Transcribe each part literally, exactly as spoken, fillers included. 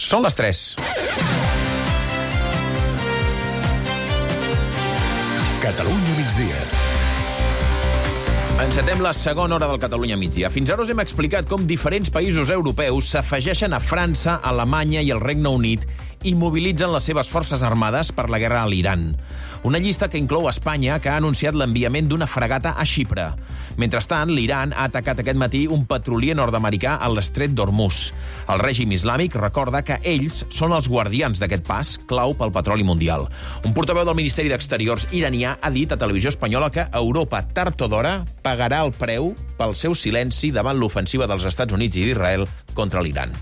Són les tres. Catalunya migdia. Encetem la segona hora del Catalunya migdia. Fins ara us hem explicat com diferents països europeus s'afegeixen a França, Alemanya i el Regne Unit i mobilitzen les seves forces armades per la guerra a l'Iran. Una llista que inclou Espanya, que ha anunciat l'enviament d'una fregata a Xipre. Mentrestant, l'Iran ha atacat aquest matí un petrolier nord-americà a l'estret d'Hormuz. El règim islàmic recorda que ells són els guardians d'aquest pas, clau pel petroli mundial. Un portaveu del Ministeri d'Exteriors iranià ha dit a Televisió Espanyola que Europa, tard o d'hora, pagarà el preu pel seu silenci davant l'ofensiva dels Estats Units i d'Israel contra l'Iran.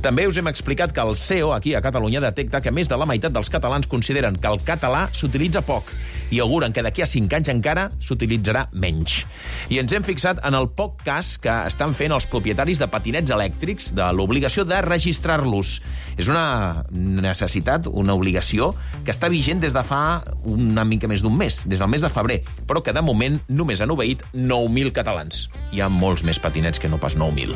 També us hem explicat que el C E O, aquí a Catalunya, detecta que més de la meitat dels catalans consideren que el català s'utilitza poc i auguren que d'aquí a cinc anys encara s'utilitzarà menys. I ens hem fixat en el poc cas que estan fent els propietaris de patinets elèctrics de l'obligació de registrar-los. És una necessitat, una obligació, que està vigent des de fa una mica més d'un mes, des del mes de febrer, però que de moment només han obeït nou mil catalans. Hi ha molts més patinets que no pas nou mil.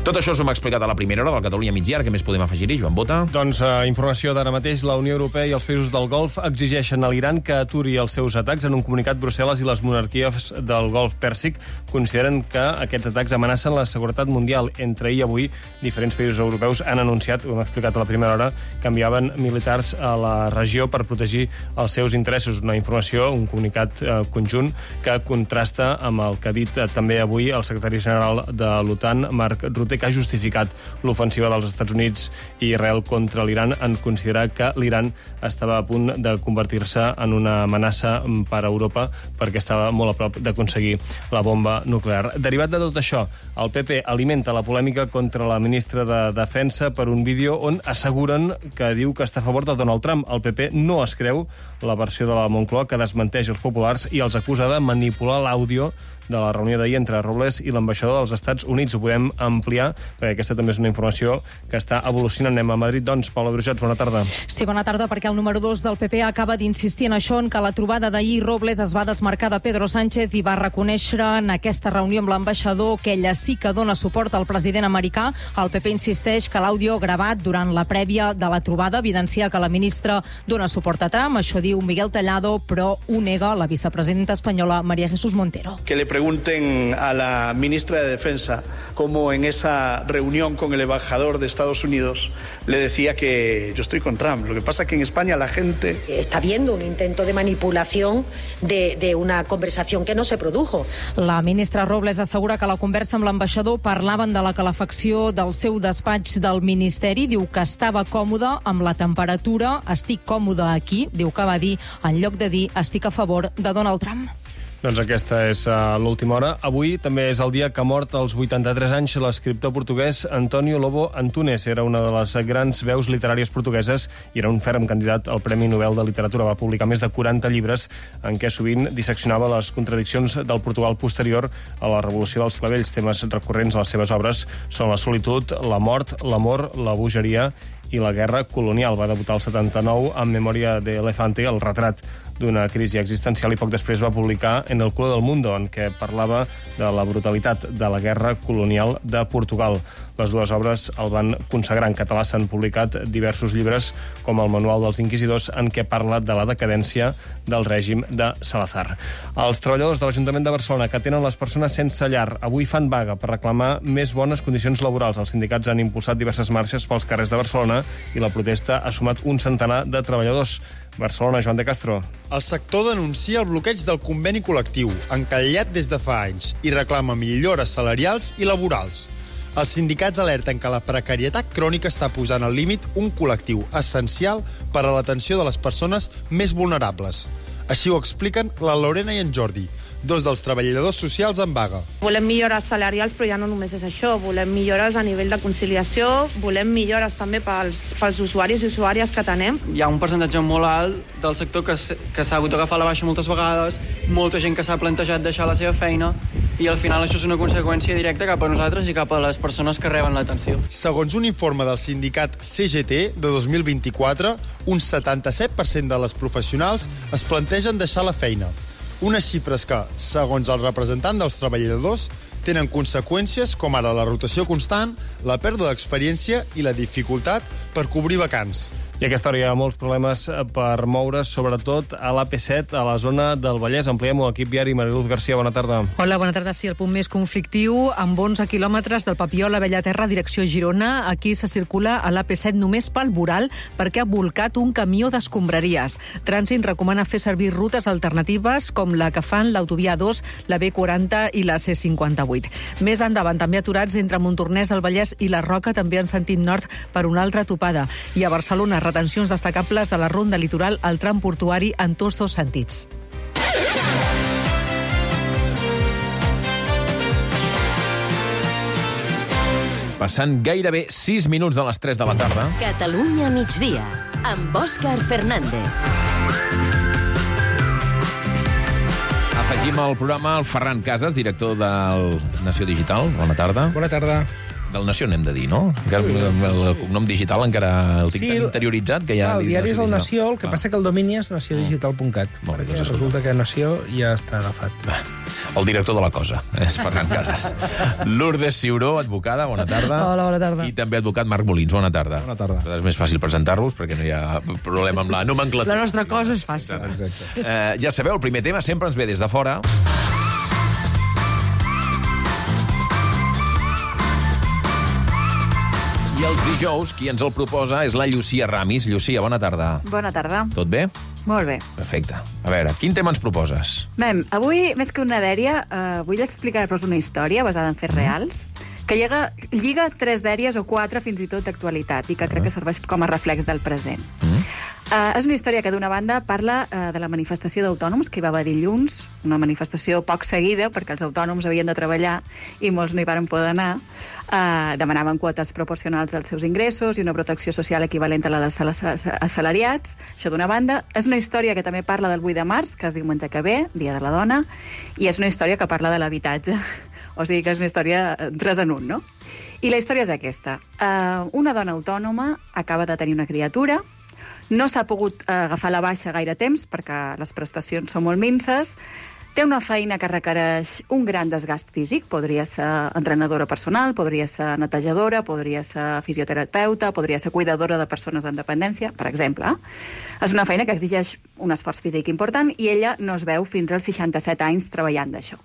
Tot això us ho hem explicat a la primera hora del Catalunya migdia. Què més podem afegir-hi, Joan Bota? Doncs uh, informació d'ara mateix. La Unió Europea i els països del Golf exigeixen a l'Iran que aturi els seus atacs. En un comunicat, Brussel·les i les monarquies del Golf Pèrsic consideren que aquests atacs amenacen la seguretat mundial. Entre ahir i avui, diferents països europeus han anunciat, ho hem explicat a la primera hora, que enviaven militars a la regió per protegir els seus interessos. Una informació, un comunicat uh, conjunt que contrasta amb el que ha dit uh, també avui el secretari general de l'OTAN, Mark Rutte, que ha justificat l'ofensiva dels Estats Units i Israel contra l'Iran en considerar que l'Iran estava a punt de convertir-se en una amenaça per a Europa perquè estava molt a prop d'aconseguir la bomba nuclear. Derivat de tot això, el P P alimenta la polèmica contra la ministra de Defensa per un vídeo on asseguren que diu que està a favor de Donald Trump. El P P no es creu la versió de la Moncloa que desmenteix els populars i els acusa de manipular l'àudio de la reunió d'ahir entre Robles i l'ambaixador dels Estats Units. Ho podem ampliar, perquè aquesta també és una informació que està evolucionant. Anem a Madrid, doncs. Paula Brujats, bona tarda. Sí, bona tarda, perquè el número dos del P P acaba d'insistir en això, en que la trobada d'ahir Robles es va desmarcar de Pedro Sánchez i va reconèixer en aquesta reunió amb l'ambaixador que ella sí que dona suport al president americà. El P P insisteix que l'àudio gravat durant la prèvia de la trobada evidencia que la ministra dona suport a Trump. Això diu Miguel Tellado, però ho nega la vicepresidenta espanyola María Jesús Montero. Que le pregunten a la ministra de Defensa cómo en esa reunión con el embajador de Estados Unidos le decía que yo estoy con Trump. Lo que pasa es que en España la gente... Está viendo un intento de manipulación de, de una conversación que no se produjo. La ministra Robles assegura que la conversa amb l'ambaixador parlaven de la calefacció del seu despatx del Ministeri. Diu que estava còmode amb la temperatura. Estic còmode aquí, diu que va dir, en lloc de dir estic a favor de Donald Trump. Doncs aquesta és uh, l'última hora. Avui també és el dia que ha mort als vuitanta-tres anys l'escriptor portuguès António Lobo Antunes. Era una de les grans veus literàries portugueses i era un ferm candidat al Premi Nobel de Literatura. Va publicar més de quaranta llibres en què sovint disseccionava les contradiccions del Portugal posterior a la Revolució dels Clavells. Temes recurrents a les seves obres són la solitud, la mort, l'amor, la bogeria i la guerra colonial. Va debutar al setanta-nou amb Memòria de Elefante, el retrat d'una crisi existencial, i poc després va publicar En el culo del mundo, en què parlava de la brutalitat de la guerra colonial de Portugal. Les dues obres el van consagrar. En català s'han publicat diversos llibres, com el Manual dels Inquisidors, en què parla de la decadència del règim de Salazar. Els treballadors de l'Ajuntament de Barcelona que tenen les persones sense llar avui fan vaga per reclamar més bones condicions laborals. Els sindicats han impulsat diverses marxes pels carrers de Barcelona i la protesta ha sumat un centenar de treballadors. Barcelona, Joan de Castro. El sector denuncia el bloqueig del conveni col·lectiu, encallat des de fa anys, i reclama millores salarials i laborals. Els sindicats alerten que la precarietat crònica està posant al límit un col·lectiu essencial per a l'atenció de les persones més vulnerables. Així ho expliquen la Lorena i en Jordi, dos dels treballadors socials en vaga. Volem millores salarials, però ja no només és això. Volem millores a nivell de conciliació, volem millores també pels, pels usuaris i usuàries que tenem. Hi ha un percentatge molt alt del sector que, que s'ha hagut d'agafar la baixa moltes vegades, molta gent que s'ha plantejat deixar la seva feina, i al final això és una conseqüència directa cap a nosaltres i cap a les persones que reben l'atenció. Segons un informe del sindicat C G T de dos mil vint-i-quatre, un setanta-set per cent de les professionals es plantegen deixar la feina. Unes xifres que, segons el representant dels treballadors, tenen conseqüències com ara la rotació constant, la pèrdua d'experiència i la dificultat per cobrir vacants. I a aquesta hora hi ha molts problemes per moure's, sobretot a l'A P set, a la zona del Vallès. Ampliem-ho, equip viari. Mariluz García, bona tarda. Hola, bona tarda. Sí, el punt més conflictiu, amb onze quilòmetres del Papiol a Bellaterra, direcció Girona. Aquí se circula a l'A P set només pel voral perquè ha volcat un camió d'escombraries. Trànsit recomana fer servir rutes alternatives com la que fan l'autovia A dos, la B quaranta i la C cinquanta-vuit. Més endavant, també aturats entre Montornès del Vallès i la Roca, també en sentit nord, per una altra topada. I a Barcelona, retencions destacables a la ronda litoral al tram portuari en tots dos sentits. Passant gairebé sis minuts de les tres de la tarda. Catalunya migdia, amb Òscar Fernández. Afegim al programa el Ferran Casas, director del Nació Digital. Bona tarda. Bona tarda. Del Nació n'hem de dir, no? Encara sí. El cognom digital encara el tinc sí, tan interioritzat que ja... El diari és el Nació, el que ah. passa que el domini és nació digital punt cat. Mm. Perquè doncs resulta que Nació ja està agafat. Va. El director de la cosa és Ferran Casas. Lourdes Ciuró, advocada, bona tarda. Hola, bona tarda. I també advocat Marc Molins, bona tarda. Bona tarda. És més fàcil presentar-vos perquè no hi ha problema amb la nomenclatura. La nostra cosa és fàcil. Exacte. Eh, ja sabeu, el primer tema sempre ens ve des de fora. I els dijous, qui ens el proposa és la Llucia Ramis. Llucia, bona tarda. Bona tarda. Tot bé? Molt bé. Perfecte. A veure, quin tema ens proposes? Bé, avui, més que una dèria, eh, vull explicar-vos una història basada en fets reals que lliga, lliga tres dèries o quatre fins i tot d'actualitat i que crec que serveix com a reflex del present. Mm. Uh, és una història que, d'una banda, parla uh, de la manifestació d'autònoms que hi va haver dilluns, una manifestació poc seguida perquè els autònoms havien de treballar i molts no hi varen poder anar. Uh, demanaven quotes proporcionals als seus ingressos i una protecció social equivalent a la dels assalariats. Això d'una banda. És una història que també parla del vuit de març, que es diu Menjar que ve, Dia de la Dona, i és una història que parla de l'habitatge. O sigui que és una història tres en un, no? I la història és aquesta. Uh, una dona autònoma acaba de tenir una criatura, no s'ha pogut uh, agafar la baixa gaire temps perquè les prestacions són molt minses, té una feina que requereix un gran desgast físic, podria ser entrenadora personal, podria ser netejadora, podria ser fisioterapeuta, podria ser cuidadora de persones amb dependència, per exemple. És una feina que exigeix un esforç físic important i ella no es veu fins als seixanta-set anys treballant d'això.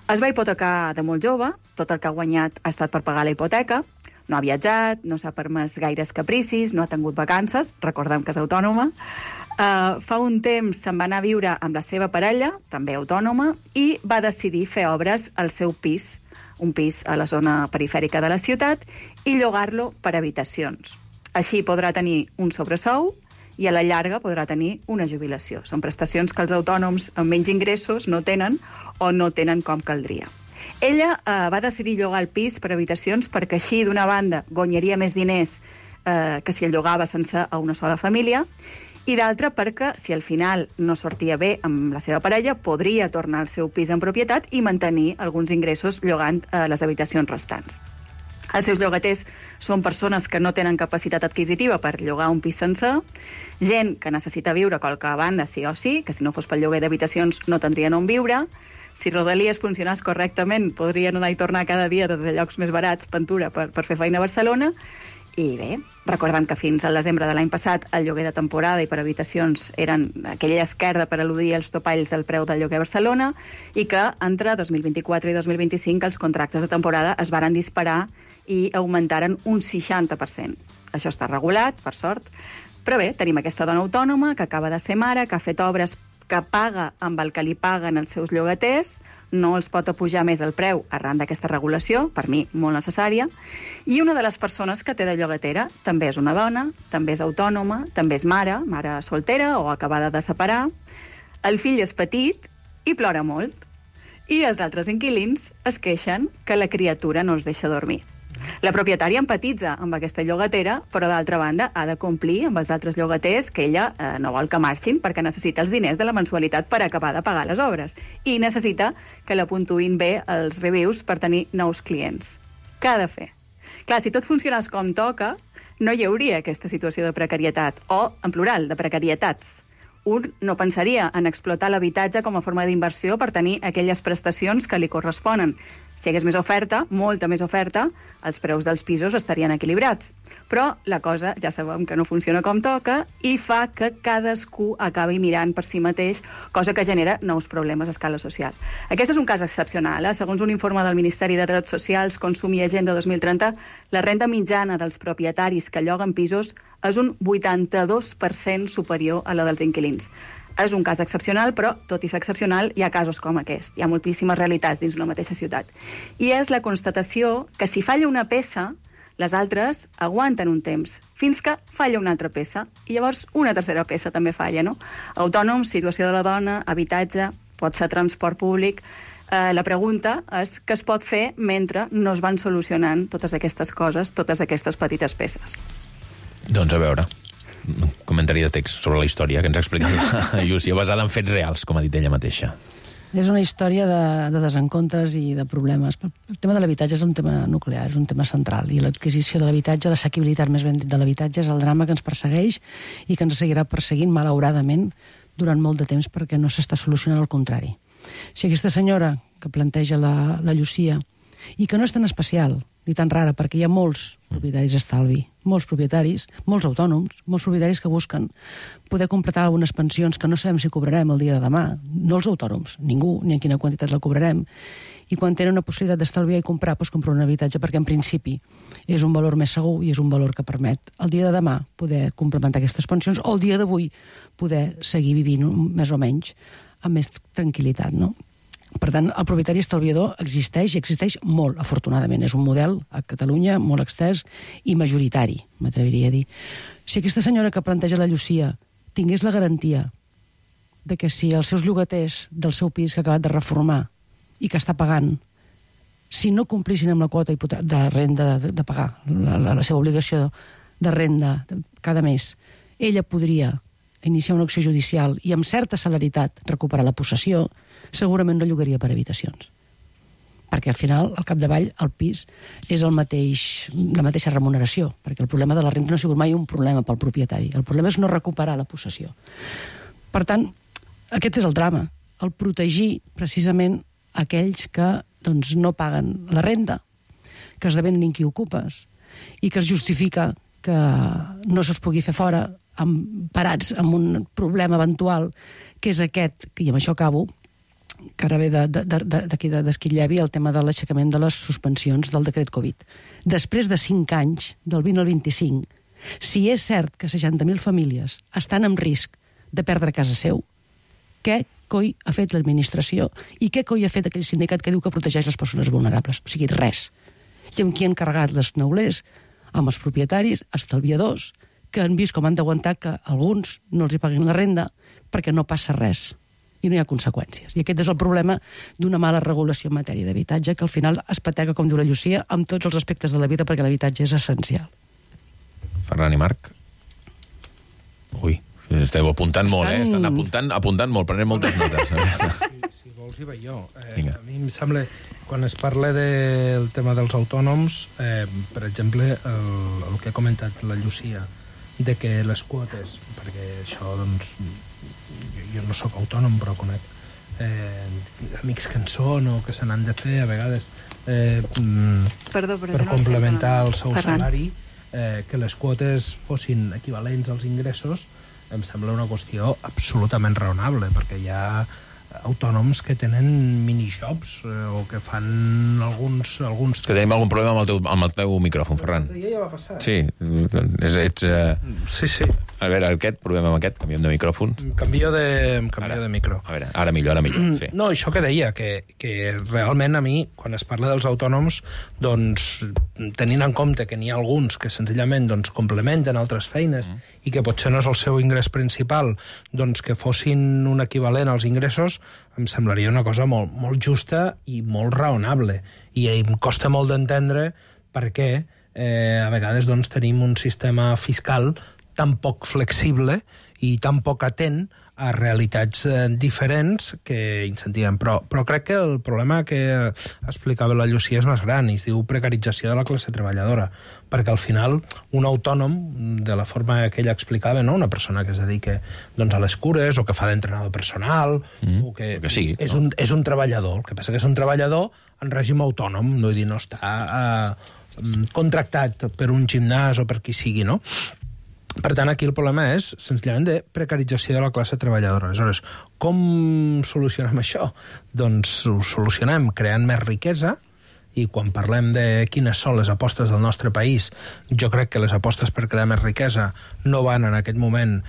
Es va hipotecar de molt jove, tot el que ha guanyat ha estat per pagar la hipoteca, no ha viatjat, no s'ha permès gaires capricis, no ha tingut vacances, recordem que és autònoma. Uh, fa un temps se'n va anar a viure amb la seva parella, també autònoma, i va decidir fer obres al seu pis, un pis a la zona perifèrica de la ciutat, i llogar-lo per habitacions. Així podrà tenir un sobresou i a la llarga podrà tenir una jubilació. Són prestacions que els autònoms amb menys ingressos no tenen o no tenen com caldria. Ella eh, va decidir llogar el pis per habitacions perquè així, d'una banda, guanyaria més diners eh, que si el llogava sense a una sola família, i d'altra perquè, si al final no sortia bé amb la seva parella, podria tornar al seu pis en propietat i mantenir alguns ingressos llogant eh, les habitacions restants. Els seus llogaters són persones que no tenen capacitat adquisitiva per llogar un pis sencer, gent que necessita viure a qualque banda sí o sí, que si no fos pel lloguer d'habitacions no tindrien on viure. Si Rodalies funcionés correctament, podrien anar i tornar cada dia des de llocs més barats, Ventura, per, per fer feina a Barcelona. I bé, recordem que fins al desembre de l'any passat el lloguer de temporada i per habitacions eren aquella esquerda per al·ludir els topalls del preu del lloguer a Barcelona i que entre dos mil vint-i-quatre i dos mil vint-i-cinc els contractes de temporada es varen disparar i augmentaren un seixanta per cent. Això està regulat, per sort. Però bé, tenim aquesta dona autònoma que acaba de ser mare, que ha fet obres que paga amb el que li paguen els seus llogaters, no els pot apujar més el preu arran d'aquesta regulació, per mi molt necessària, i una de les persones que té de llogatera també és una dona, també és autònoma, també és mare, mare soltera o acabada de separar, el fill és petit i plora molt, i els altres inquilins es queixen que la criatura no els deixa dormir. La propietària empatitza amb aquesta llogatera, però d'altra banda ha de complir amb els altres llogaters que ella eh, no vol que marxin perquè necessita els diners de la mensualitat per acabar de pagar les obres i necessita que la puntuïn bé els reviews per tenir nous clients. Què ha de fer? Clar, si tot funcionés com toca, no hi hauria aquesta situació de precarietat, o, en plural, de precarietats. Un no pensaria en explotar l'habitatge com a forma d'inversió per tenir aquelles prestacions que li corresponen. Si hi hagués més oferta, molta més oferta, els preus dels pisos estarien equilibrats. Però la cosa ja sabem que no funciona com toca i fa que cadascú acabi mirant per si mateix, cosa que genera nous problemes a escala social. Aquest és un cas excepcional. Eh? Segons un informe del Ministeri de Drets Socials, Consum i Agenda dos mil trenta, la renda mitjana dels propietaris que lloguen pisos és un vuitanta-dos per cent superior a la dels inquilins. És un cas excepcional, però, tot i ser excepcional, hi ha casos com aquest. Hi ha moltíssimes realitats dins una mateixa ciutat. I és la constatació que si falla una peça, les altres aguanten un temps, fins que falla una altra peça. I llavors una tercera peça també falla, no? Autònoms, situació de la dona, habitatge, pot ser transport públic. Eh, la pregunta és què es pot fer mentre no es van solucionant totes aquestes coses, totes aquestes petites peces. Doncs a veure... un comentari de text sobre la història que ens ha explicat la Llúcia, basada en fets reals, com ha dit ella mateixa. És una història de, de desencontres i de problemes. El tema de l'habitatge és un tema nuclear, és un tema central, i l'adquisició de l'habitatge, l'assequibilitat més ben dit de l'habitatge, és el drama que ens persegueix i que ens seguirà perseguint, malauradament, durant molt de temps, perquè no s'està solucionant el contrari. Si aquesta senyora que planteja la, la Llúcia, i que no és tan especial, ni tan rara, perquè hi ha molts propietaris d'estalvi, molts propietaris, molts autònoms, molts propietaris que busquen poder completar algunes pensions que no sabem si cobrarem el dia de demà, no els autònoms, ningú, ni en quina quantitat la cobrarem, i quan tenen una possibilitat d'estalviar i comprar, doncs comprar un habitatge, perquè en principi és un valor més segur i és un valor que permet el dia de demà poder complementar aquestes pensions, o el dia d'avui poder seguir vivint més o menys amb més tranquil·litat, no? Per tant, el propietari estalviador existeix i existeix molt, afortunadament. És un model a Catalunya molt extès i majoritari, m'atreviria a dir. Si aquesta senyora que planteja la Llúcia tingués la garantia de que si els seus llogaters del seu pis que ha acabat de reformar i que està pagant, si no complissin amb la quota de renda de, de pagar, la, la, la seva obligació de renda cada mes, ella podria iniciar una acció judicial i amb certa celeritat recuperar la possessió, segurament no llogaria per habitacions. Perquè al final, al capdavall, el pis és el mateix, la mateixa remuneració, perquè el problema de la renda no ha sigut mai un problema pel propietari. El problema és no recuperar la possessió. Per tant, aquest és el drama, el protegir precisament aquells que doncs, no paguen la renda, que esdevenen inquiocupes i que es justifica que no se'ls pugui fer fora amb, parats amb un problema eventual, que és aquest, i amb això acabo, que ara ve d'aquí de, de, d'Esquitllèvi, el tema de l'aixecament de les suspensions del decret Covid. Després de cinc anys, del vint al vint-i-cinc, si és cert que seixanta mil famílies estan en risc de perdre casa seu, què coi ha fet l'administració i què coi ha fet aquell sindicat que diu que protegeix les persones vulnerables? O sigui, res. I amb qui han carregat les neulers? Amb els propietaris, estalviadors, que han vist com han d'aguantar que alguns no els hi paguin la renda perquè no passa res i no hi ha conseqüències. I aquest és el problema d'una mala regulació en matèria d'habitatge, que al final es patega, com diu la Llúcia, amb tots els aspectes de la vida, perquè l'habitatge és essencial. Ferran i Marc? Ui, esteu apuntant Estan... molt, eh? Estan apuntant, apuntant molt, prenent moltes notes. Si, si vols hi vaig jo. Eh, a mi em sembla, quan es parla del tema dels autònoms, eh, per exemple, el, el que ha comentat la Llúcia, de que les quotes, perquè això, doncs, jo, jo no sóc autònom, però conec eh, amics que en són o que se n'han de fer a vegades eh, perdó, perdó, per no complementar el seu Ferran. salari, eh, que les quotes fossin equivalents als ingressos, em sembla una qüestió absolutament raonable, perquè hi ha autònoms que tenen minijobs eh, o que fan alguns... alguns... Que tenim algun problema amb el teu, amb el teu micròfon, Ferran. Ja, ja va passar. Sí, és, ets... Uh... Sí, sí. A veure, aquest problema amb aquest, canviem de micròfon. Canvio de, canvio de micro. A veure, ara millor, ara millor, sí. No, això que deia, que, que realment a mi, quan es parla dels autònoms, doncs, tenint en compte que n'hi ha alguns que senzillament doncs, complementen altres feines mm. i que potser no és el seu ingrés principal, doncs que fossin un equivalent als ingressos, em semblaria una cosa molt, molt justa i molt raonable. I em costa molt d'entendre per què eh, a vegades doncs, tenim un sistema fiscal tan poc flexible i tan poc atent a realitats eh, diferents que incentivem. Però, però crec que el problema que explicava la Llucia és més gran i es diu precarització de la classe treballadora, perquè al final un autònom, de la forma que ella explicava, no? Una persona que es dedica doncs, a les cures o que fa d'entrenador personal, mm, o que, que sigui, és, no? un, és un treballador. El que passa que és un treballador en règim autònom, no, dir, no està eh, contractat per un gimnàs o per qui sigui, no? Per tant, aquí el problema és, senzillament, de precarització de la classe treballadora. Aleshores, com solucionem això? Doncs ho solucionem creant més riquesa, i quan parlem de quines són les apostes del nostre país, jo crec que les apostes per crear més riquesa no van en aquest moment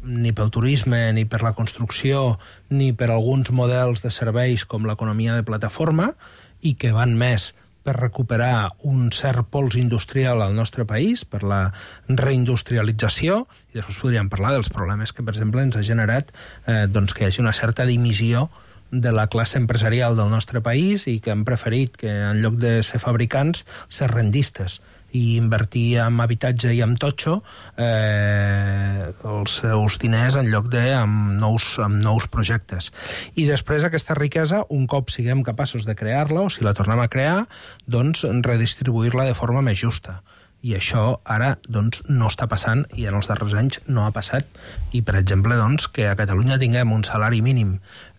ni pel turisme, ni per la construcció, ni per alguns models de serveis com l'economia de plataforma, i que van més per recuperar un cert pols industrial al nostre país, per la reindustrialització, i després podríem parlar dels problemes que, per exemple, ens ha generat eh, doncs que hi hagi una certa dimissió de la classe empresarial del nostre país i que han preferit que, en lloc de ser fabricants, ser rendistes i invertir en habitatge i en totxo eh, els seus diners en lloc de amb nous, amb nous projectes. I després aquesta riquesa, un cop siguem capaços de crear-la, o si la tornem a crear, doncs redistribuir-la de forma més justa. I això ara doncs, no està passant i en els darrers anys no ha passat. I, per exemple, doncs, que a Catalunya tinguem un salari mínim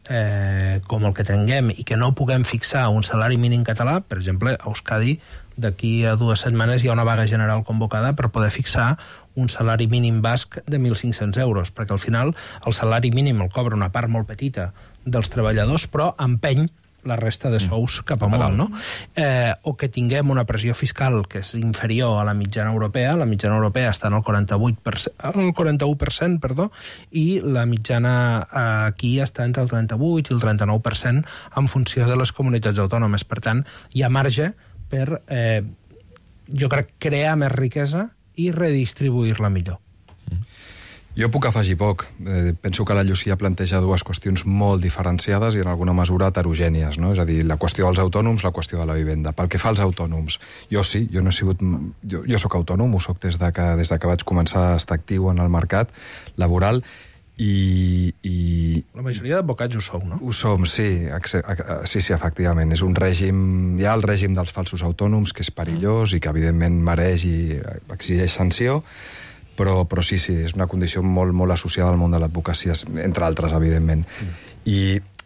eh, com el que tinguem i que no puguem fixar un salari mínim català, per exemple, a Euskadi d'aquí a dues setmanes hi ha una vaga general convocada per poder fixar un salari mínim basc de mil cinc-cents euros, perquè al final el salari mínim el cobra una part molt petita dels treballadors, però empeny la resta de sous cap amunt, no? Eh, o que tinguem una pressió fiscal que és inferior a la mitjana europea, la mitjana europea està en el quaranta-vuit per cent, el quaranta-u per cent, perdó, i la mitjana aquí està entre el trenta-vuit i el trenta-nou per cent en funció de les comunitats autònomes. Per tant, hi ha marge per, eh, jo crec, crear més riquesa i redistribuir-la millor. Jo puc afegir poc. Eh, penso que la Llucia planteja dues qüestions molt diferenciades i en alguna mesura heterogènies, no? És a dir, la qüestió dels autònoms, la qüestió de la vivenda. Pel que fa als autònoms, jo sí, jo no he sigut... Jo, jo sóc autònom, ho soc des de, que, des de que vaig començar a estar actiu en el mercat laboral i... i... La majoria d'advocats ho sou, no? Ho som, sí, sí, sí, efectivament. És un règim... Hi ha el règim dels falsos autònoms, que és perillós i que evidentment mereix i exigeix sanció, Però, però sí, sí, és una condició molt, molt associada al món de l'advocacia, entre altres, evidentment. Mm. I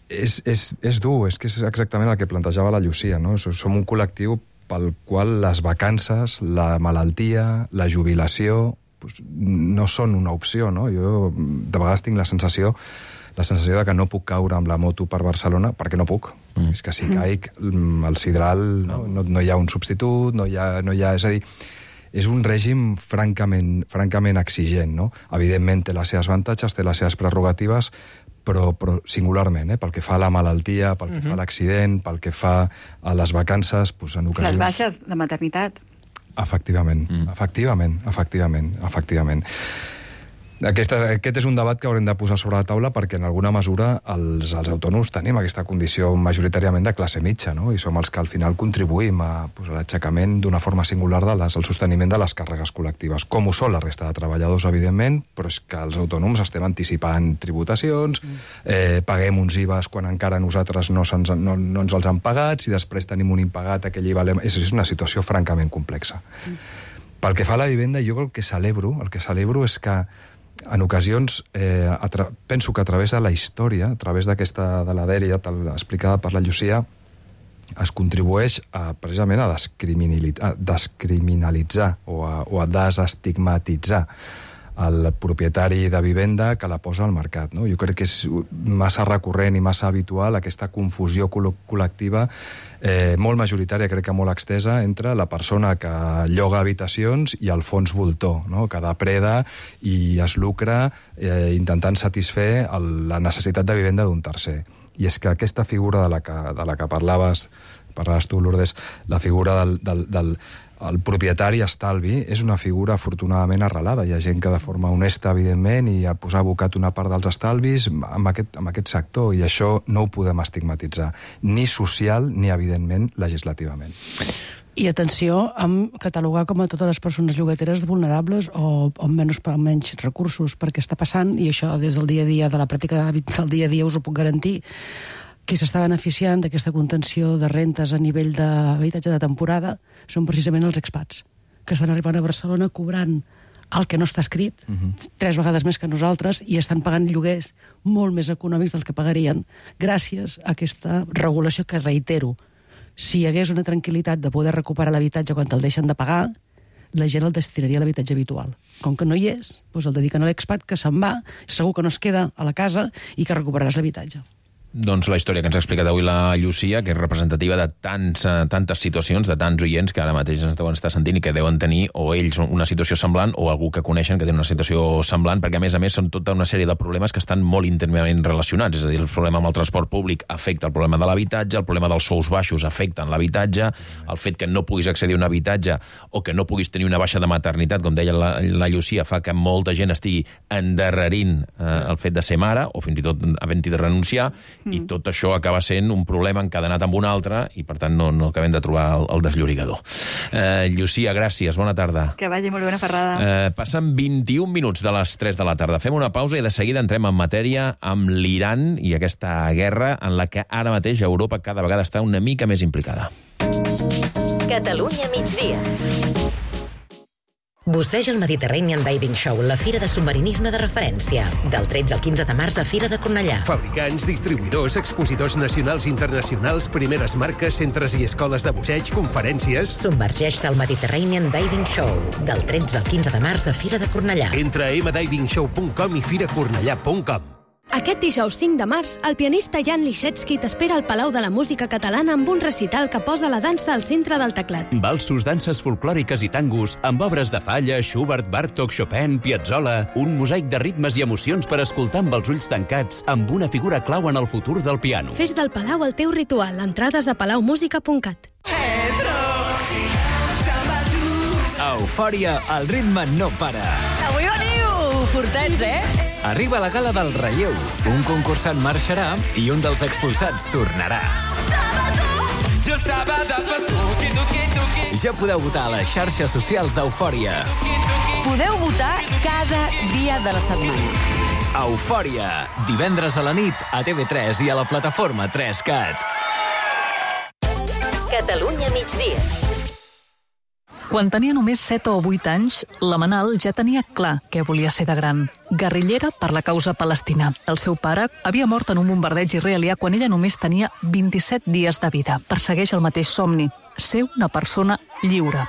és, és, és dur, és que és exactament el que plantejava la Llucia, no? Som un col·lectiu pel qual les vacances, la malaltia, la jubilació, doncs, no són una opció, no? Jo de vegades tinc la sensació la sensació de que no puc caure amb la moto per Barcelona perquè no puc. Mm. És que si caic, el sidral, no, no, no hi ha un substitut, no hi ha... No hi ha és a dir, és un règim francament, francament exigent, no? Evidentment té les seves avantatges, té les seves prerrogatives, però, però singularment, eh? Pel que fa a la malaltia, pel que uh-huh. fa a l'accident, pel que fa a les vacances, doncs en ocasions... Les baixes de maternitat. Efectivament, mm. efectivament, efectivament, efectivament. Aquest, aquest és un debat que haurem de posar sobre la taula perquè en alguna mesura els, els autònoms tenim aquesta condició majoritàriament de classe mitja, no? I som els que al final contribuïm a, pues, a l'aixecament d'una forma singular de les, al sosteniment de les càrregues col·lectives, com ho són la resta de treballadors, evidentment, però és que els autònoms estem anticipant tributacions, eh, paguem uns I V As quan encara nosaltres no, se'ns, no, no ens els han pagat, si després tenim un impagat, aquell I V A... És, és una situació francament complexa. Mm. Pel que fa a la vivenda, jo el que celebro, el que celebro és que en ocasions, eh, tra... penso que a través de la història, a través d'aquesta de la dèria explicada per la Llucia, es contribueix a, precisament a descriminalitzar, a descriminalitzar o, a, o a desestigmatitzar el propietari de vivenda que la posa al mercat, no? Jo crec que és massa recurrent i massa habitual aquesta confusió col·lectiva eh, molt majoritària, crec que molt extesa, entre la persona que lloga habitacions i el fons voltor, no? Que depreda i es lucra eh, intentant satisfer el, la necessitat de vivenda d'un tercer. I és que aquesta figura de la que, de la que parlaves, parlaves tu, Lourdes, la figura del... del, del el propietari estalvi és una figura afortunadament arrelada. Hi ha gent que de forma honesta, evidentment, i ha posat abocat una part dels estalvis amb aquest, amb aquest sector, i això no ho podem estigmatitzar, ni social ni, evidentment, legislativament. I atenció amb catalogar com a totes les persones llogateres vulnerables o amb menys, amb menys recursos, perquè està passant, i això des del dia a dia, de la pràctica del dia a dia us ho puc garantir, qui s'està beneficiant d'aquesta contenció de rentes a nivell d'habitatge de temporada són precisament els expats, que estan arribant a Barcelona cobrant el que no està escrit, uh-huh. tres vegades més que nosaltres, i estan pagant lloguers molt més econòmics dels que pagarien gràcies a aquesta regulació que, reitero, si hi hagués una tranquil·litat de poder recuperar l'habitatge quan te'l deixen de pagar, la gent el destinaria a l'habitatge habitual. Com que no hi és, doncs el dediquen a l'expat, que se'n va, segur que no es queda a la casa i que recuperaràs l'habitatge. Doncs la història que ens ha explicat avui la Llucia, que és representativa de tants, tantes situacions, de tants oients que ara mateix ens deuen estar sentint i que deuen tenir o ells una situació semblant o algú que coneixen que té una situació semblant, perquè a més a més són tota una sèrie de problemes que estan molt íntimament relacionats. És a dir, el problema amb el transport públic afecta el problema de l'habitatge, el problema dels sous baixos afecta l'habitatge, el fet que no puguis accedir a un habitatge o que no puguis tenir una baixa de maternitat, com deia la, la Llucia, fa que molta gent estigui endarrerint eh, el fet de ser mare o fins i tot havent-hi de renunciar, mm. i tot això acaba sent un problema encadenat amb un altre i, per tant, no, no acabem de trobar el, el desllorigador. Eh, Llucia, gràcies, bona tarda. Que vagi molt bé, una ferrada. Eh, passen vint-i-un minuts de les tres de la tarda. Fem una pausa i de seguida entrem en matèria amb l'Iran i aquesta guerra en la que ara mateix Europa cada vegada està una mica més implicada. Catalunya migdia. Busseig el Mediterranean Diving Show, la fira de submarinisme de referència. Del tretze al quinze de març a Fira de Cornellà. Fabricants, distribuïdors, expositors nacionals i internacionals, primeres marques, centres i escoles de busseig, conferències... Submergeix-te al Mediterranean Diving Show. Del tretze al quinze de març a Fira de Cornellà. Entra a m diving show punt com i fira cornellà punt com. Aquest dijous cinc de març, el pianista Jan Liszewski t'espera al Palau de la Música Catalana amb un recital que posa la dansa al centre del teclat. Valsos, danses folclòriques i tangos, amb obres de Falla, Schubert, Bartók, Chopin, Piazzolla, un mosaic de ritmes i emocions per escoltar amb els ulls tancats, amb una figura clau en el futur del piano. Fes del Palau el teu ritual. Entrades a palau música punt cat. A Eufòria, el ritme no para. Avui veniu fortets, eh? Arriba la gala del relleu. Un concursant marxarà i un dels expulsats tornarà. Ja podeu votar a les xarxes socials d'Eufòria. Podeu votar cada dia de la setmana. Eufòria, divendres a la nit a T V tres i a la plataforma tres cat. Catalunya migdia. Quan tenia només set o vuit anys, la Manal ja tenia clar què volia ser de gran. Guerrillera per la causa palestina. El seu pare havia mort en un bombardeig israelià quan ella només tenia vint-i-set dies de vida. Persegueix el mateix somni, ser una persona lliure.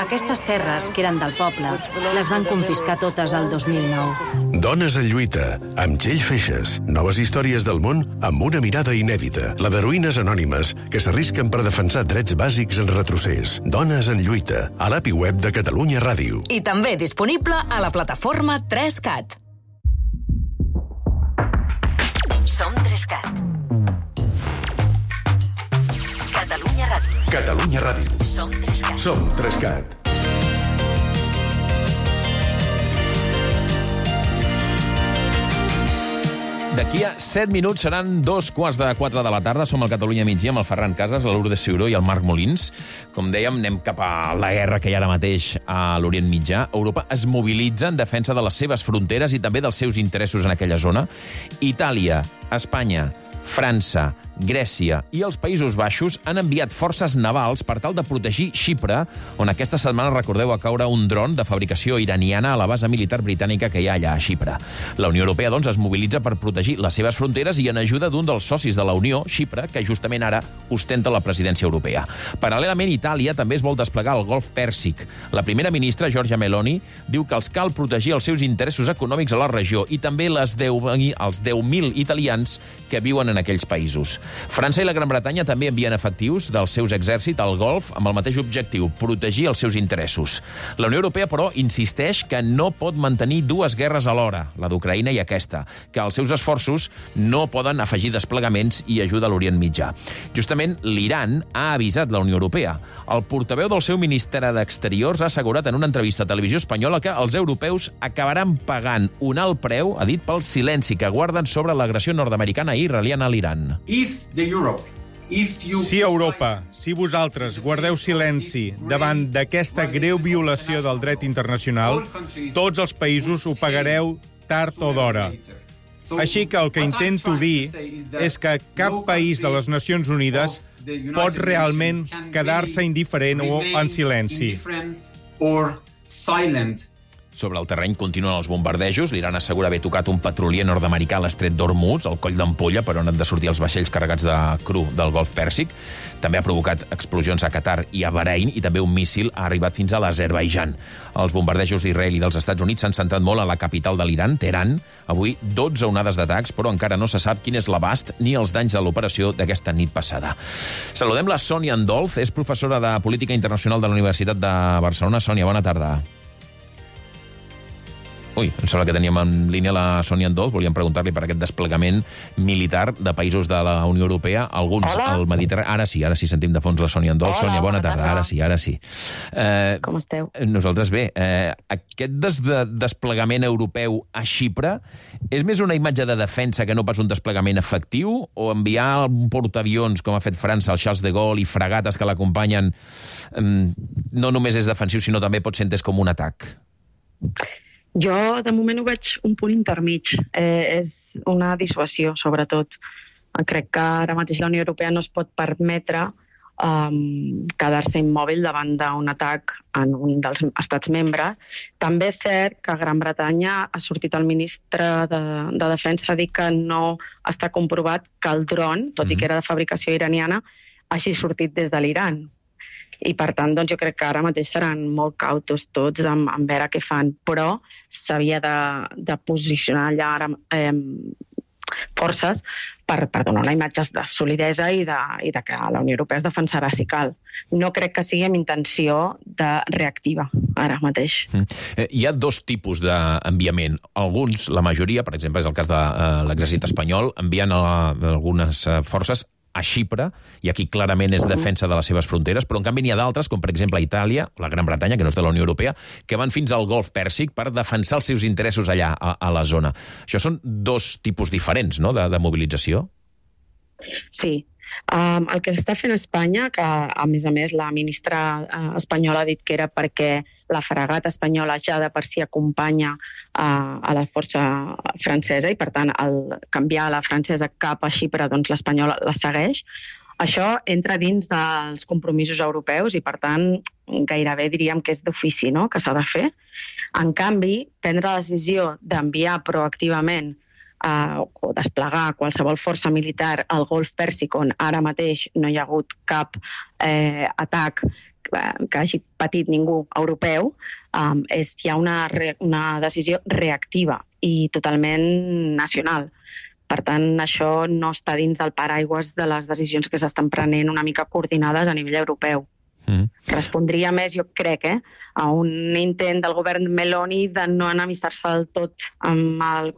Aquestes terres, que eren del poble, les van confiscar totes el dos mil nou. Dones en lluita, amb Txell Feixes. Noves històries del món amb una mirada inèdita. La d'heroïnes anònimes que s'arrisquen per defensar drets bàsics en retrocés. Dones en lluita, a l'A P I web de Catalunya Ràdio. I també disponible a la plataforma tres cat. Som tres cat. Catalunya Ràdio. Catalunya Ràdio. Som tres cat. Som tres cat. D'aquí a set minuts seran dos quarts de quatre de la tarda. Som al Catalunya migdia amb el Ferran Casas, la Lourdes Ciuró i el Marc Molins. Com dèiem, anem cap a la guerra que hi ha ara mateix a l'Orient Mitjà. Europa es mobilitza en defensa de les seves fronteres i també dels seus interessos en aquella zona. Itàlia, Espanya, França, Grècia i els Països Baixos han enviat forces navals per tal de protegir Xipre, on aquesta setmana, recordeu, va caure un dron de fabricació iraniana a la base militar britànica que hi ha allà a Xipre. La Unió Europea, doncs, es mobilitza per protegir les seves fronteres i en ajuda d'un dels socis de la Unió, Xipre, que justament ara ostenta la presidència europea. Paral·lelament, Itàlia també es vol desplegar al Golf Pèrsic. La primera ministra, Giorgia Meloni, diu que els cal protegir els seus interessos econòmics a la regió i també les deu, els deu mil italians que viuen en aquells països. França i la Gran Bretanya també envien efectius dels seus exèrcits al Golf amb el mateix objectiu, protegir els seus interessos. La Unió Europea, però, insisteix que no pot mantenir dues guerres alhora, la d'Ucraïna i aquesta, que els seus esforços no poden afegir desplegaments i ajuda a l'Orient Mitjà. Justament, l'Iran ha avisat la Unió Europea. El portaveu del seu Ministeri d'Exteriors ha assegurat en una entrevista a Televisió Espanyola que els europeus acabaran pagant un alt preu, ha dit, pel silenci que guarden sobre l'agressió nord-americana i israeliana a l'Iran. If the Europe Si Europa, si vosaltres guardeu silenci davant d'aquesta greu violació del dret internacional, tots els països ho pagareu tard o d'hora. Així que el que intento dir és que cap país de les Nacions Unides pot realment quedar-se indiferent o en silenci. Sobre el terreny continuen els bombardejos. L'Iran assegura haver tocat un petrolier nord-americà a l'estret d'Hormuz, al coll d'ampolla, per on han de sortir els vaixells carregats de cru del Golf Pèrsic. També ha provocat explosions a Qatar i a Bahrein, i també un míssil ha arribat fins a l'Azerbaidjan. Els bombardejos d'Israel i dels Estats Units s'han centrat molt a la capital de l'Iran, Teheran. Avui, dotze onades d'atacs, però encara no se sap quin és l'abast ni els danys de l'operació d'aquesta nit passada. Saludem la Sònia Andolz, és professora de Política Internacional de la Universitat de Barcelona. Sònia, bona tarda. Ui, em sembla que teníem en línia la Sònia Andolz. Volíem preguntar-li per aquest desplegament militar de països de la Unió Europea, alguns Hola. al Mediterrani. Ara sí, ara sí sentim de fons la Sònia Andolz. Hola, Sònia, bona bona tarda. tarda. Ara sí, ara sí. Eh, Com esteu? Nosaltres bé. Eh, aquest des de desplegament europeu a Xipre és més una imatge de defensa que no pas un desplegament efectiu? O enviar un portaavions, com ha fet França, el Charles de Gaulle, i fragates que l'acompanyen, eh, no només és defensiu, sinó també pot ser entès com un atac? Jo, de moment, ho veig un punt intermig. Eh, és una dissuasió, sobretot. Crec que ara mateix la Unió Europea no es pot permetre um, quedar-se immòbil davant d'un atac en un dels estats membres. També és cert que a Gran Bretanya ha sortit el ministre de, de Defensa a dir que no està comprovat que el dron, tot mm-hmm. i que era de fabricació iraniana, hagi sortit des de l'Iran. I, per tant, doncs, jo crec que ara mateix seran molt cautos tots en, en veure què fan, però s'havia de, de posicionar allà ara eh, forces per, per donar una imatge de solidesa i de, i de que la Unió Europea es defensarà si cal. No crec que sigui amb intenció de reactiva ara mateix. Mm. Eh, hi ha dos tipus d'enviament. Alguns, la majoria, per exemple, és el cas de eh, l'exèrcit espanyol, envien a, a algunes eh, forces a Xipre, i aquí clarament és defensa de les seves fronteres, però en canvi n'hi ha d'altres, com per exemple Itàlia, la Gran Bretanya, que no és de la Unió Europea, que van fins al Golf Pèrsic per defensar els seus interessos allà, a, a la zona. Això són dos tipus diferents, no?, de, de mobilització. Sí. Um, el que està fent Espanya, que a més a més la ministra uh, espanyola ha dit que era perquè la fragata espanyola ja de per si acompanya uh, a la força francesa i, per tant, el canviar la francesa cap a Xipre, doncs l'espanyola la segueix. Això entra dins dels compromisos europeus i, per tant, gairebé diríem que és d'ofici, no?, que s'ha de fer. En canvi, prendre la decisió d'enviar proactivament Uh, o desplegar qualsevol força militar al Golf Pèrsic, on ara mateix no hi ha hagut cap eh, atac eh, que hagi patit ningú europeu, um, és ja una, re, una decisió reactiva i totalment nacional. Per tant, això no està dins del paraigües de les decisions que s'estan prenent una mica coordinades a nivell europeu. Mm. Respondria més, jo crec, eh, a un intent del govern Meloni de no enemistar-se del tot amb el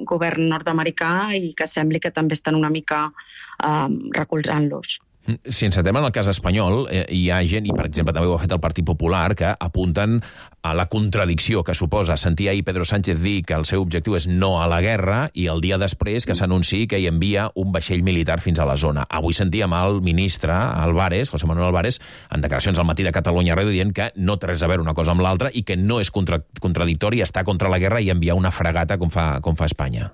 govern nord-americà i que sembli que també estan una mica um, recolzant-los. Si ens centrem en el cas espanyol, eh, hi ha gent, i per exemple també ho ha fet el Partit Popular, que apunten a la contradicció que suposa sentir ahir Pedro Sánchez dir que el seu objectiu és no a la guerra i el dia després que s'anunciï que hi envia un vaixell militar fins a la zona. Avui sentíem el ministre Álvarez, José Manuel Álvarez, en declaracions al Matí de Catalunya Ràdio, dient que no té res a veure una cosa amb l'altra i que no és contra contradictori estar contra la guerra i enviar una fragata com fa, com fa Espanya.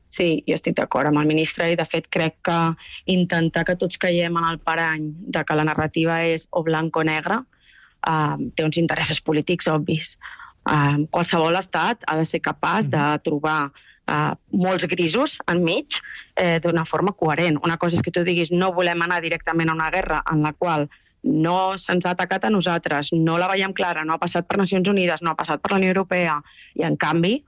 Sí, jo estic d'acord amb el ministre i, de fet, crec que intentar que tots caiem en el parany de que la narrativa és o blanc o negre uh, té uns interessos polítics obvis. Uh, qualsevol estat ha de ser capaç de trobar uh, molts grisos enmig eh, d'una forma coherent. Una cosa és que tu diguis no volem anar directament a una guerra en la qual no se'ns ha atacat a nosaltres, no la veiem clara, no ha passat per Nacions Unides, no ha passat per la Unió Europea, i en canvi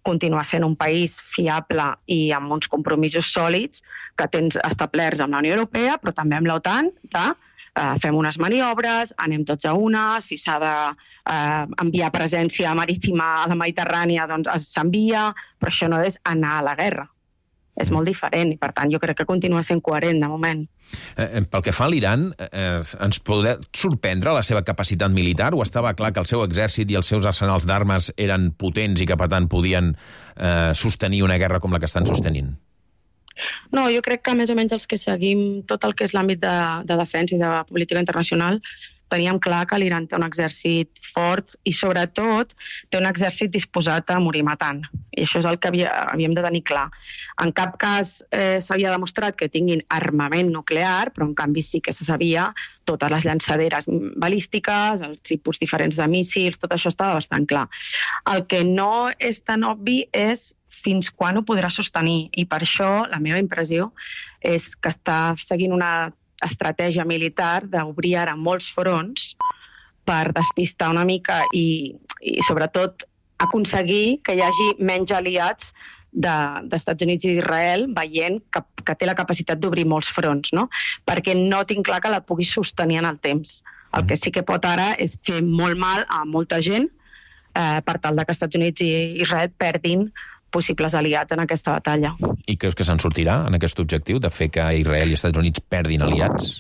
continuar sent un país fiable i amb uns compromisos sòlids que tens establerts amb la Unió Europea, però també amb l'OTAN, de eh, fem unes maniobres, anem tots a una, si s'ha d'enviar eh, presència marítima a la Mediterrània, doncs s'envia, però això no és anar a la guerra. És molt diferent i, per tant, jo crec que continua sent coherent de moment. Eh, pel que fa a l'Iran, eh, ens podrà sorprendre la seva capacitat militar o estava clar que el seu exèrcit i els seus arsenals d'armes eren potents i que, per tant, podien eh, sostenir una guerra com la que estan sostenint? No, jo crec que més o menys els que seguim tot el que és l'àmbit de, de defensa i de política internacional teníem clar que l'Iran té un exèrcit fort i, sobretot, té un exèrcit disposat a morir matant. I això és el que havia, havíem de tenir clar. En cap cas eh, s'havia demostrat que tinguin armament nuclear, però en canvi sí que se sabia totes les llançaderes balístiques, els tipus diferents de míssils, tot això estava bastant clar. El que no és tan obvi és fins quan ho podrà sostenir. I per això la meva impressió és que està seguint una estratègia militar d'obrir ara molts fronts per despistar una mica i, i sobretot, aconseguir que hi hagi menys aliats d'Estats de, Units i d'Israel veient que, que té la capacitat d'obrir molts fronts, no? Perquè no tinc clar que la pugui sostenir en el temps. El que sí que pot ara és fer molt mal a molta gent eh, per tal de que Estats Units i Israel perdin possibles aliats en aquesta batalla. I creus que se'n sortirà en aquest objectiu de fer que Israel i Estats Units perdin aliats?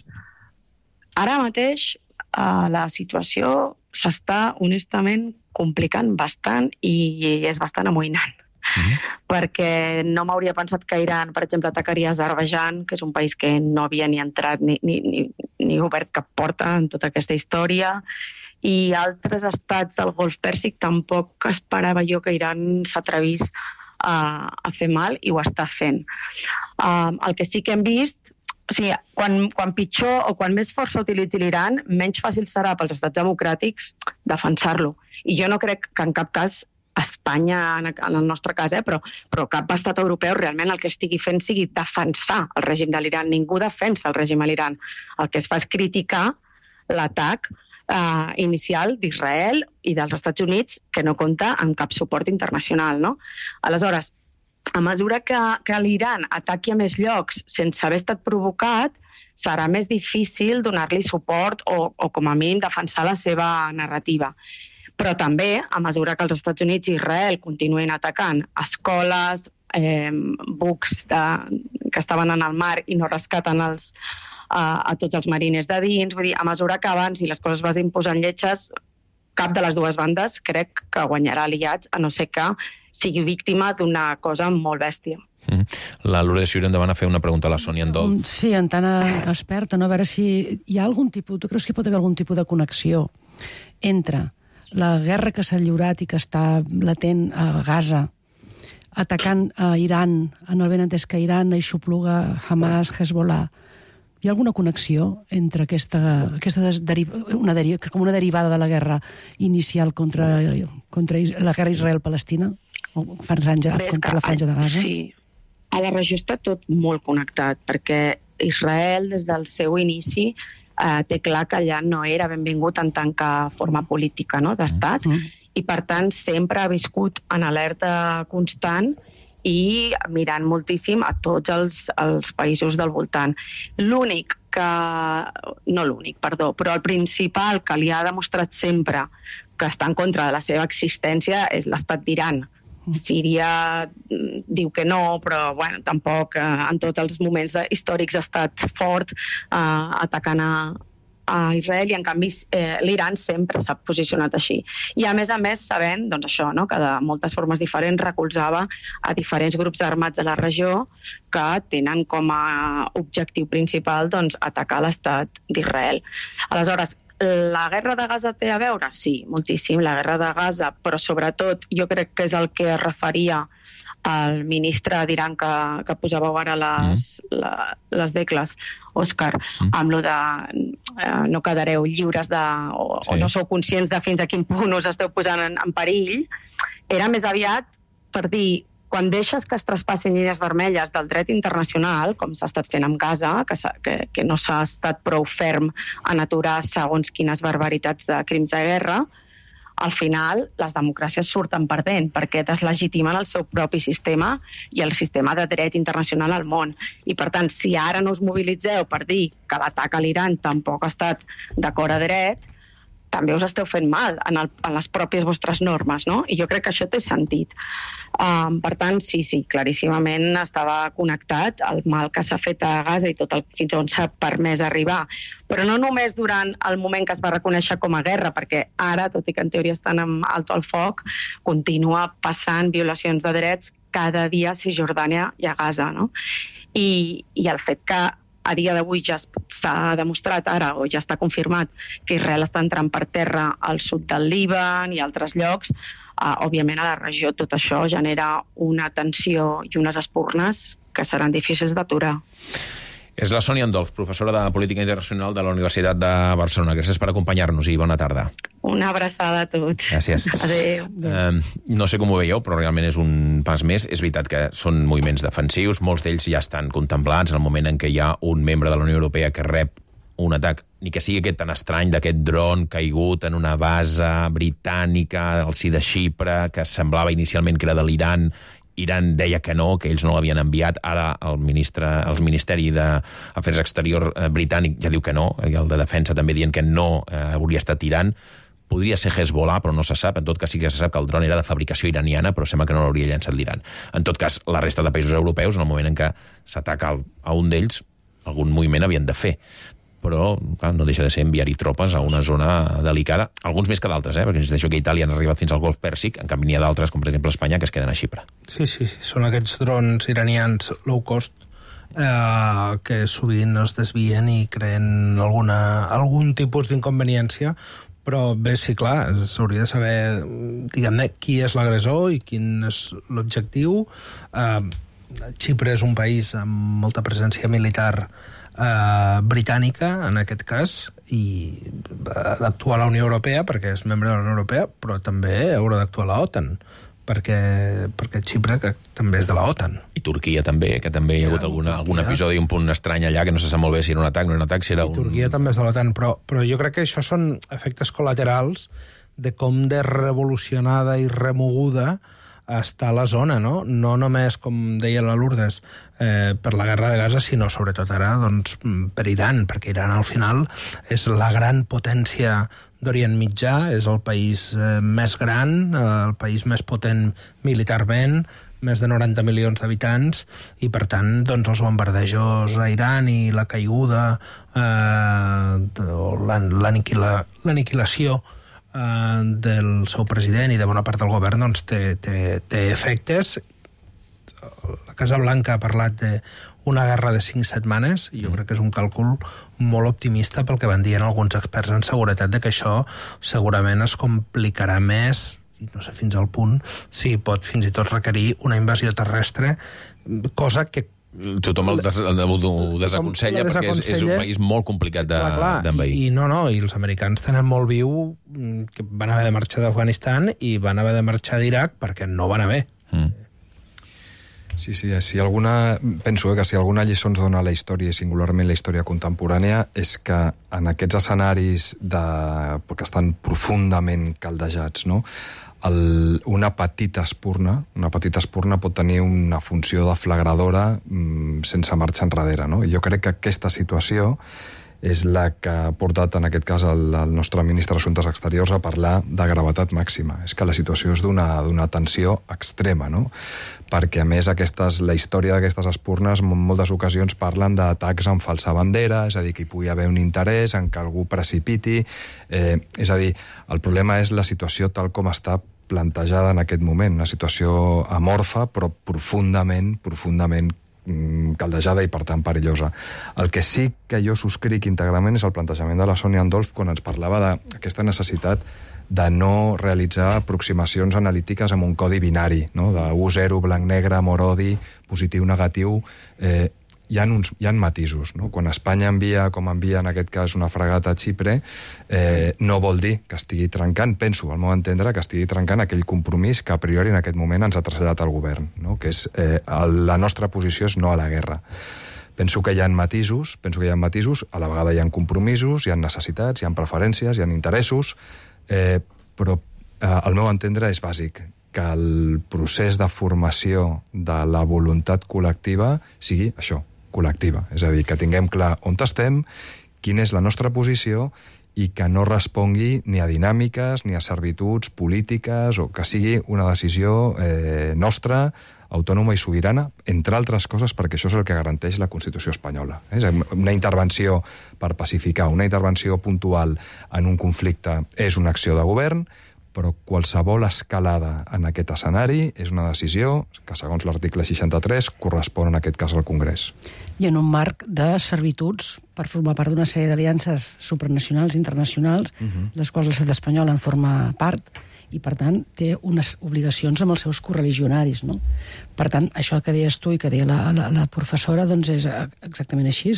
Ara mateix eh, la situació s'està honestament complicant bastant i és bastant amoïnant. Mm-hmm. Perquè no m'hauria pensat que Iran, per exemple, atacaria Azerbaidjan, que és un país que no havia ni entrat ni, ni, ni, ni obert cap porta en tota aquesta història, i altres estats del Golf Pèrsic tampoc esperava jo que Iran s'atrevís a, a fer mal, i ho està fent. Um, el que sí que hem vist, o sigui, quan, quan pitjor o quan més força utilitzi l'Iran, menys fàcil serà pels estats democràtics defensar-lo. I jo no crec que en cap cas Espanya, en el nostre cas, eh, però, però cap estat europeu realment el que estigui fent sigui defensar el règim de l'Iran. Ningú defensa el règim de l'Iran. El que es fa és criticar l'atac Uh, inicial d'Israel i dels Estats Units, que no compta amb cap suport internacional, no? Aleshores, a mesura que, que l'Iran ataqui a més llocs sense haver estat provocat, serà més difícil donar-li suport o, o com a mínim defensar la seva narrativa. Però també, a mesura que els Estats Units i Israel continuïn atacant escoles, eh, bucs de, que estaven en el mar i no rescaten els A, a tots els marines de dins, vull dir, a mesura que avanci les coses vagin posant lletges, cap de les dues bandes crec que guanyarà aliats, a no ser que sigui víctima d'una cosa molt bèstia. Mm. La Lourdes Xuri, endavant a fer una pregunta a la Sònia Andol. Sí, en tant experta, no? A veure si hi ha algun tipus, tu creus que hi pot haver algun tipus de connexió entre la guerra que s'ha lliurat i que està latent a Gaza, atacant a Iran, en el benentès que Iran aixopluga Hamas, Hezbollah. Hi ha alguna connexió entre aquesta, aquesta deriva, una deriva, com una derivada de la guerra inicial contra, contra la guerra Israel-Palestina? O franja, contra la franja de Gaza? Sí. A la regió està tot molt connectat, perquè Israel, des del seu inici, eh, té clar que allà no era benvingut en tant que forma política, no?, d'estat, mm. i per tant sempre ha viscut en alerta constant i mirant moltíssim a tots els, els països del voltant. L'únic que... no l'únic, perdó, però el principal que li ha demostrat sempre que està en contra de la seva existència és l'estat d'Iran. Síria diu que no, però bueno, tampoc eh, en tots els moments històrics ha estat fort eh, atacant a, a Israel, i en canvi eh, l'Iran sempre s'ha posicionat així. I a més a més sabent, doncs això, no?, que de moltes formes diferents recolzava a diferents grups armats de la regió que tenen com a objectiu principal, doncs, atacar l'estat d'Israel. Aleshores, la guerra de Gaza té a veure? Sí, moltíssim, la guerra de Gaza, però sobretot jo crec que és el que es referia al ministre d'Iran que, que posàveu ara les, mm. la, les decles, Òscar, mm. amb lo de eh, no quedareu lliures de, o, sí. o no sou conscients de fins a quin punt us esteu posant en, en perill, era més aviat per dir, quan deixes que es traspassin línies vermelles del dret internacional, com s'ha estat fent amb Gaza, que, que, que no s'ha estat prou ferm en aturar segons quines barbaritats de crims de guerra, al final les democràcies surten perdent perquè deslegitimen el seu propi sistema i el sistema de dret internacional al món. I per tant, si ara no us mobilitzeu per dir que l'atac a l'Iran tampoc ha estat d'acord a dret, també us esteu fent mal en, el, en les pròpies vostres normes, no? I jo crec que això té sentit. Um, per tant, sí, sí, claríssimament estava connectat el mal que s'ha fet a Gaza i tot el, fins on s'ha permès arribar. Però no només durant el moment que es va reconèixer com a guerra, perquè ara, tot i que en teoria estan amb alto al foc, continua passant violacions de drets cada dia a Cisjordània i a Gaza, no? I, i el fet que a dia d'avui ja s'ha demostrat ara, o ja està confirmat, que Israel està entrant per terra al sud del Líban i altres llocs, uh, òbviament a la regió tot això genera una tensió i unes espurnes que seran difícils d'aturar. És la Sònia Andolf, professora de Política Internacional de la Universitat de Barcelona. Gràcies per acompanyar-nos i bona tarda. Una abraçada a tots. Gràcies. Adéu. Eh, no sé com ho veieu, però realment és un pas més. És veritat que són moviments defensius, molts d'ells ja estan contemplats en el moment en què hi ha un membre de la Unió Europea que rep un atac, ni que sigui aquest tan estrany d'aquest dron caigut en una base britànica al si de Xipre, que semblava inicialment que era de l'Iran. Iran deia que no, que ells no l'havien enviat. Ara el, ministre, el Ministeri d'Afers Exterior britànic ja diu que no, i el de Defensa també dient que no eh, hauria estat Iran. Podria ser Hezbollah, però no se sap. En tot cas sí que se sap que el dron era de fabricació iraniana, però sembla que no l'hauria llançat l'Iran. En tot cas, la resta de països europeus, en el moment en què s'ataca a un d'ells, algun moviment havien de fer. Però clar, no deixa de ser enviar-hi tropes a una zona delicada, alguns més que d'altres, eh? Perquè ens deixo que Itàlia han arribat fins al Golf Pèrsic, en canvi n'hi ha d'altres, com per exemple Espanya, que es queden a Xipre. Sí, sí, sí. Són aquests drons iranians low cost eh, que sovint es desvien i creen alguna, algun tipus d'inconveniència, però bé, sí, clar, s'hauria de saber, diguem-ne, qui és l'agressor i quin és l'objectiu. Eh, Xipre és un país amb molta presència militar Uh, britànica, en aquest cas, i ha d'actuar la Unió Europea perquè és membre de la Unió Europea, però també haurà d'actuar la OTAN, perquè, perquè Xipre que també és de la OTAN. I Turquia també, que també hi ha hagut alguna, algun episodi, un punt estrany allà, que no se sap molt bé si era un atac, no era un atac, si era un... I Turquia també és de l'OTAN, però, però jo crec que això són efectes col·laterals de com de revolucionada i remoguda està la zona, no? No només, com deia la Lourdes, eh, per la guerra de Gaza, sinó sobretot ara doncs, per Iran, perquè Iran al final és la gran potència d'Orient Mitjà, és el país eh, més gran, eh, el país més potent militarment, més de noranta milions d'habitants, i per tant doncs, els bombardejos a Iran i la caiguda, eh, l'aniquilació Uh, del seu president i de bona part del govern doncs té, té, té efectes. La Casa Blanca ha parlat d'una guerra de cinc setmanes i jo crec que és un càlcul molt optimista pel que van dient alguns experts en seguretat, de que això segurament es complicarà més, i no sé fins al punt si pot fins i tot requerir una invasió terrestre, cosa que tothom el des, el, ho desaconsella perquè és, és un país molt complicat d'envair. I, I no, no, i els americans tenen molt viu que van haver de marxar d'Afganistan i van haver de marxar d'Iraq perquè no van haver. Mm. Sí, sí, si alguna, penso que si alguna lliçó ens dona la història, i singularment la història contemporània, és que en aquests escenaris de, que estan profundament caldejats, no? El, una petita espurna, una petita espurna pot tenir una funció deflagradora mmm, sense marxar enrere, no? I jo crec que aquesta situació és la que ha portat, en aquest cas, el, el nostre ministre d'Assumptes Exteriors a parlar de gravetat màxima. És que la situació és d'una d'una tensió extrema, no? Perquè, a més, aquestes, la història d'aquestes espurnes en moltes ocasions parlen d'atacs amb falsa bandera, és a dir, que hi pugui haver un interès en que algú precipiti. Eh, és a dir, el problema és la situació tal com està plantejada en aquest moment, una situació amorfa, però profundament, profundament caldejada i, per tant, perillosa. El que sí que jo subscric íntegrament és el plantejament de la Sònia Andolf quan ens parlava d'aquesta necessitat de no realitzar aproximacions analítiques amb un codi binari, no? De u zero, blanc-negre, amor-odi, positiu-negatiu. Eh, hi ha uns, hi ha matisos, no? Quan Espanya envia, com envia en aquest cas, una fregata a Xipre, eh, no vol dir que estigui trencant, penso, al meu entendre, que estigui trencant aquell compromís que a priori en aquest moment ens ha traslladat el govern, no? Que és, eh, el, la nostra posició és no a la guerra. Penso que hi ha matisos, penso que hi ha matisos, a la vegada hi ha compromisos, hi ha necessitats, hi ha preferències, hi ha interessos, eh, però eh, al meu entendre és bàsic que el procés de formació de la voluntat col·lectiva sigui això, col·lectiva. És a dir, que tinguem clar on estem, quina és la nostra posició i que no respongui ni a dinàmiques ni a servituds polítiques, o que sigui una decisió eh, nostra, autònoma i sobirana, entre altres coses perquè això és el que garanteix la Constitució espanyola. És una intervenció per pacificar, una intervenció puntual en un conflicte és una acció de govern, però qualsevol escalada en aquest escenari és una decisió que, segons l'article seixanta-tres, correspon en aquest cas al Congrés. I en un marc de servituds per formar part d'una sèrie d'aliances supranacionals, internacionals, uh-huh. les quals l'estat espanyol en forma part, i, per tant, té unes obligacions amb els seus correligionaris, no? Per tant, això que deies tu i que deia la, la, la professora, doncs és exactament així.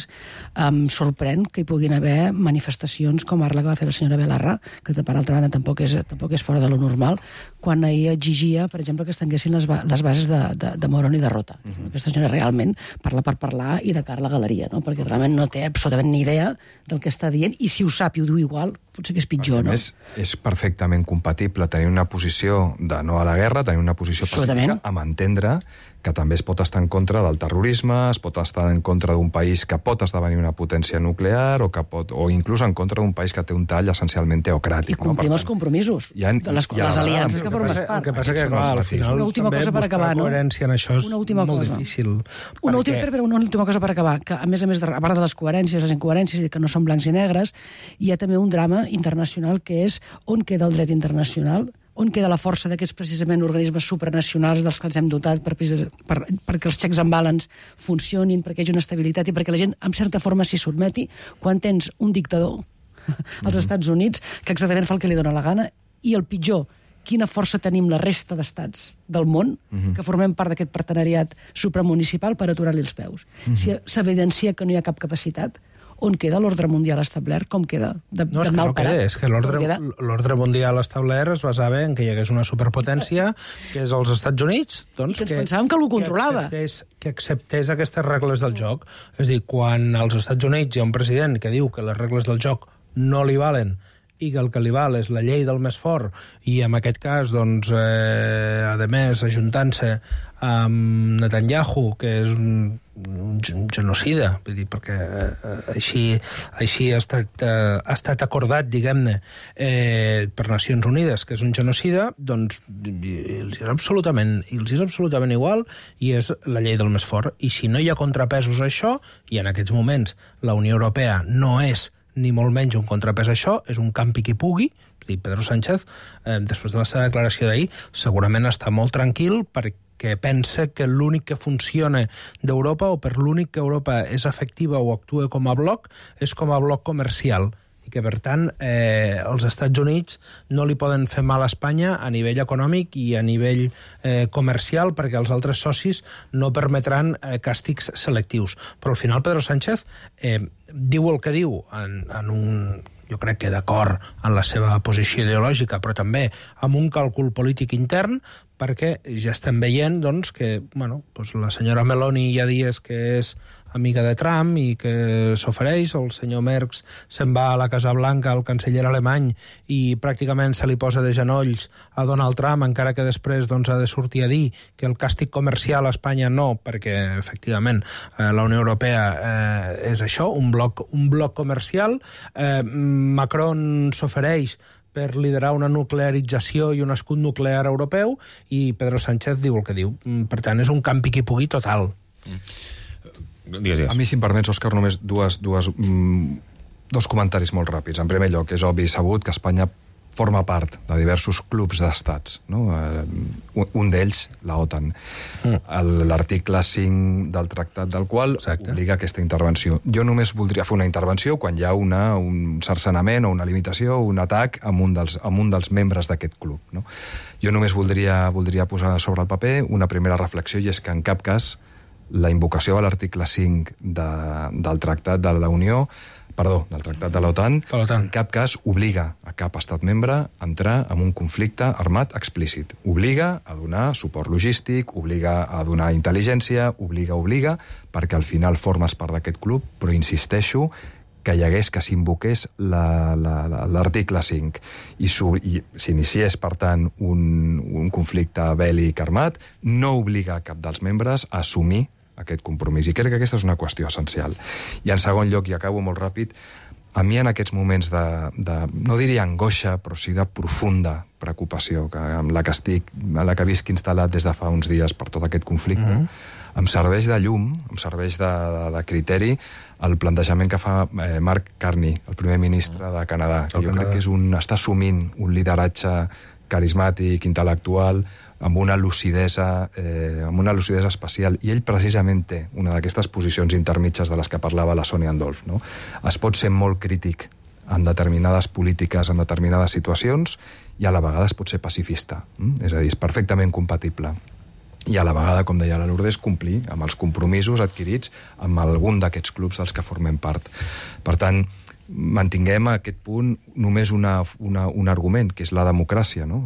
Em sorprèn que hi puguin haver manifestacions com ara la que va fer la senyora Belarra, que, per altra banda, tampoc és, tampoc és fora de lo normal, quan ahir exigia, per exemple, que es tanguessin les, ba les bases de, de, de Morón i de Rota. Uh-huh. Aquesta senyora realment parla per parlar i de cara a la galeria, no? Perquè realment no té absolutament ni idea del que està dient, i si ho sap i ho diu igual, potser que és pitjor, no? A més, és perfectament compatible tenir una posició de no a la guerra, tenir una posició pacífica, amb entendre que també es pot estar en contra del terrorisme, es pot estar en contra d'un país que pot esdevenir una potència nuclear, o, que pot, o inclús en contra d'un país que té un tall essencialment teocràtic. I complim no? els compromisos ha, de les, les aliances que formes part. El que passa que, clar, al final, una última cosa per acabar, no? Coherència en això és molt cosa. difícil. Una, última, perquè... però una última cosa per acabar, que a més a més, de, a part de les coherències, les incoherències, que no són blancs i negres, hi ha també un drama internacional que és on queda el dret internacional, on queda la força d'aquests precisament organismes supranacionals dels que ens hem dotat per, per, perquè els checks and balance funcionin, perquè hi hagi una estabilitat i perquè la gent, en certa forma, s'hi sotmeti, quan tens un dictador als Estats Units que exactament fa el que li dóna la gana, i el pitjor, quina força tenim la resta d'estats del món que formem part d'aquest partenariat supramunicipal per aturar-li els peus. Si s'evidencia que no hi ha cap capacitat, on queda l'ordre mundial establert? Com queda? De, no, és que no queda, és que l'ordre mundial establert es basava en que hi hagués una superpotència, que és els Estats Units, doncs, i que ens que, pensàvem que algú controlava. Que acceptés, que acceptés aquestes regles del joc. És a dir, quan als Estats Units hi ha un president que diu que les regles del joc no li valen i que el que li val és la llei del més fort, i en aquest cas, doncs, eh, a més, ajuntant-se amb Netanyahu, que és un, un genocida, vull dir, perquè eh, així, així ha, estat, eh, ha estat acordat, diguem-ne, eh, per Nacions Unides, que és un genocida, doncs els és absolutament, els és absolutament igual, i és la llei del més fort. I si no hi ha contrapesos a això, i en aquests moments la Unió Europea no és ni molt menys un contrapès a això, és un campi qui pugui. Pedro Sánchez, eh, després de la seva declaració d'ahir, segurament està molt tranquil perquè pensa que l'únic que funciona d'Europa, o per l'únic que Europa és efectiva o actua com a bloc, és com a bloc comercial, i que, per tant, eh, els Estats Units no li poden fer mal a Espanya a nivell econòmic i a nivell eh, comercial, perquè els altres socis no permetran eh, càstigs selectius. Però al final Pedro Sánchez eh, diu el que diu en, en un... jo crec que d'acord en la seva posició ideològica, però també amb un càlcul polític intern, perquè ja estem veient, doncs, que bueno, doncs la senyora Meloni ja dies que és amiga de Trump i que s'ofereix, el senyor Merz se'n va a la Casa Blanca, el canceller alemany, i pràcticament se li posa de genolls a Donald Trump, encara que després doncs, ha de sortir a dir que el càstig comercial a Espanya no, perquè efectivament eh, la Unió Europea eh, és això, un bloc, un bloc comercial. Eh, Macron s'ofereix per liderar una nuclearització i un escut nuclear europeu, i Pedro Sánchez diu el que diu. Per tant, és un campi qui pugui total. Mm. Digues, digues. A mi, si em permets, Òscar, només dues, dues, mm, dos comentaris molt ràpids. En primer lloc, és obvi i sabut que Espanya forma part de diversos clubs d'estats, no? Uh, un d'ells, la OTAN. Mm. L'article cinc del tractat del qual Exacte. obliga aquesta intervenció. Jo només voldria fer una intervenció quan hi ha una, un cercenament o una limitació o un atac amb un dels, amb un dels membres d'aquest club. No? Jo només voldria, voldria posar sobre el paper una primera reflexió, i és que en cap cas la invocació a l'article cinc de, del Tractat de la Unió, perdó, del Tractat de l'OTAN, en cap cas obliga a cap estat membre a entrar en un conflicte armat explícit. Obliga a donar suport logístic, obliga a donar intel·ligència, obliga, obliga, perquè al final formes part d'aquest club, però insisteixo que hi hagués, que s'invoqués l'article cinc i s'iniciés, per tant, un, un conflicte bèl·lic armat, no obliga cap dels membres a assumir aquest compromís. I crec que aquesta és una qüestió essencial. I en segon lloc, i acabo molt ràpid, a mi en aquests moments de, de no diria angoixa, però sí de profunda preocupació, que, amb la que estic, amb la que visc instal·lat des de fa uns dies per tot aquest conflicte, mm-hmm. em serveix de llum, em serveix de, de, de criteri el plantejament que fa eh, Mark Carney, el primer ministre de Canadà, que jo Canadà. crec que és un, està assumint un lideratge carismàtic, intel·lectual, amb una lucidesa, eh, amb una lucidesa especial, i ell precisament té una d'aquestes posicions intermitges de les que parlava la Sonia Andolf, no? Es pot ser molt crític en determinades polítiques, en determinades situacions, i a la vegada es pot ser pacifista. Mm? És a dir, és perfectament compatible. I a la vegada, com deia la Lourdes, complir amb els compromisos adquirits amb algun d'aquests clubs dels que formem part. Per tant, mantinguem a aquest punt només una, una, un argument, que és la democràcia, no?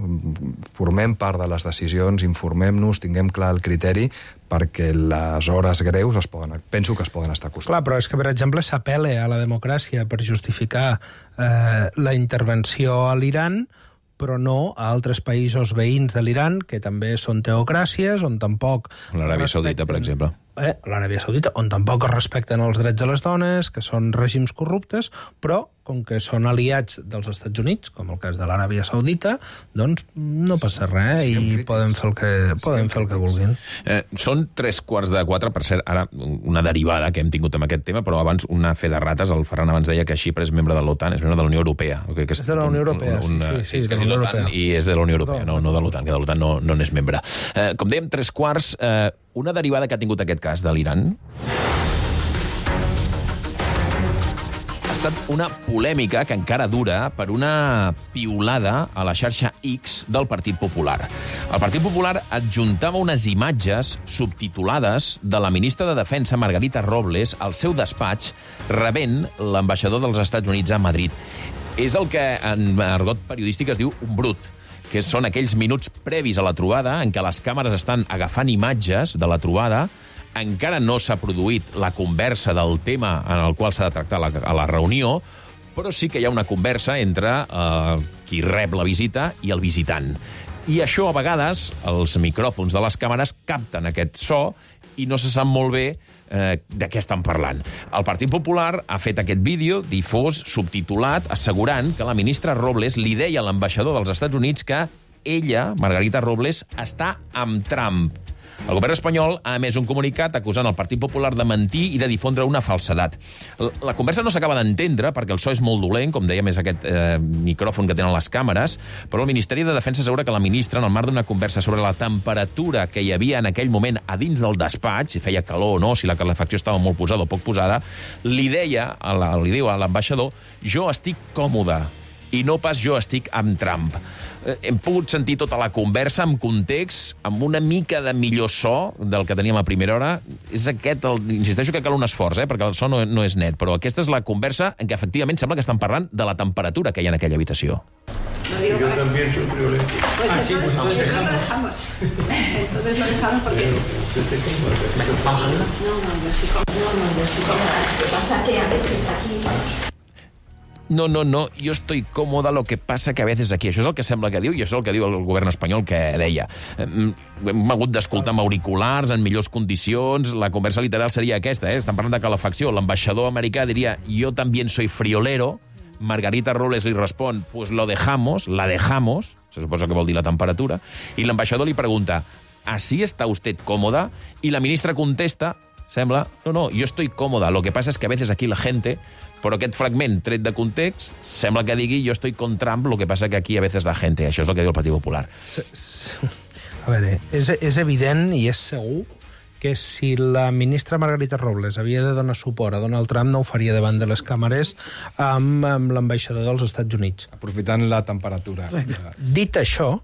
Formem part de les decisions, informem-nos, tinguem clar el criteri, perquè les hores greus es poden, penso que es poden estar acostant. Clar, però és que, per exemple, s'apel·la a la democràcia per justificar eh, la intervenció a l'Iran, però no a altres països veïns de l'Iran, que també són teocràcies, on tampoc... L'Aràbia Saudita, per exemple. Eh, L'Aràbia Saudita, on tampoc es respecten els drets de les dones, que són règims corruptes, però, com que són aliats dels Estats Units, com el cas de l'Aràbia Saudita, doncs no passa res sí, i poden fer el que, poden fer el que vulguin. Eh, són tres quarts de quatre, per cert, ara una derivada que hem tingut amb aquest tema, però abans una fe de rates, el Ferran abans deia que Xipre és membre de l'OTAN, és membre de la Unió Europea. Que és, és de la Unió Europea, un, un, sí, sí, sí, sí, de la Unió Europea. I és de la Unió Europea, no, no de l'OTAN, que de l'OTAN no, no n'és membre. Eh, com dèiem, tres quarts, eh, una derivada que ha tingut aquest cas de l'Iran ha estat una polèmica que encara dura per una piulada a la xarxa X del Partit Popular. El Partit Popular adjuntava unes imatges subtitulades de la ministra de Defensa, Margarita Robles, al seu despatx, rebent l'ambaixador dels Estats Units a Madrid. És el que en argot periodístic es diu un brut, que són aquells minuts previs a la trobada en què les càmeres estan agafant imatges de la trobada, encara no s'ha produït la conversa del tema en el qual s'ha de tractar la, a la reunió, però sí que hi ha una conversa entre eh, qui rep la visita i el visitant. I això, a vegades, els micròfons de les càmeres capten aquest so i no se sap molt bé eh, de què estan parlant. El Partit Popular ha fet aquest vídeo difós, subtitulat, assegurant que la ministra Robles li deia a l'ambaixador dels Estats Units que ella, Margarita Robles, està amb Trump. El govern espanyol ha emès un comunicat acusant el Partit Popular de mentir i de difondre una falsedat. La conversa no s'acaba d'entendre perquè el so és molt dolent, com deia més aquest eh, micròfon que tenen les càmeres, però el Ministeri de Defensa assegura que la ministra, en el marc d'una conversa sobre la temperatura que hi havia en aquell moment a dins del despatx, si feia calor o no, si la calefacció estava molt posada o poc posada, li deia, a la, li diu a l'ambaixador, jo estic còmode i no pas jo estic amb Trump. Hem pogut sentir tota la conversa amb context, amb una mica de millor so del que teníem a primera hora. És aquest, el, insisteixo que cal un esforç, eh, perquè el so no, no és net, però aquesta és la conversa en què efectivament sembla que estan parlant de la temperatura que hi ha en aquella habitació. No digo yo también soy friolento. Pues ah, sí, pues entonces lo dejamos. Entonces lo dejamos porque... ¿Vamos a ver? No, no, yo estoy cómoda. No, no, yo estoy cómoda. Lo que pasa que a veces aquí... No, no, no, jo estoy còmoda, lo que passa que a veces aquí. Això és el que sembla que diu i això és el que diu el govern espanyol que deia. Hem hagut d'escoltar amb auriculars, en millors condicions, la conversa literal seria aquesta, eh? Estan parlant de calefacció. L'ambaixador americà diria, yo también soy friolero. Margarita Robles li respon, pues lo dejamos, la dejamos, se suposa que vol dir la temperatura, i l'ambaixador li pregunta, ¿así está usted cómoda? I la ministra contesta, sembla, no, no, yo estoy cómoda, lo que pasa es que a veces aquí la gente... Però aquest fragment, tret de context, sembla que digui jo estoy con Trump, lo que passa que aquí a veces la gente... Això és el que diu el Partit Popular. A veure, és, és evident i és segur que si la ministra Margarita Robles havia de donar suport a Donald Trump no ho faria davant de les càmeres amb, amb l'ambaixador dels Estats Units. Aprofitant la temperatura. Dit això,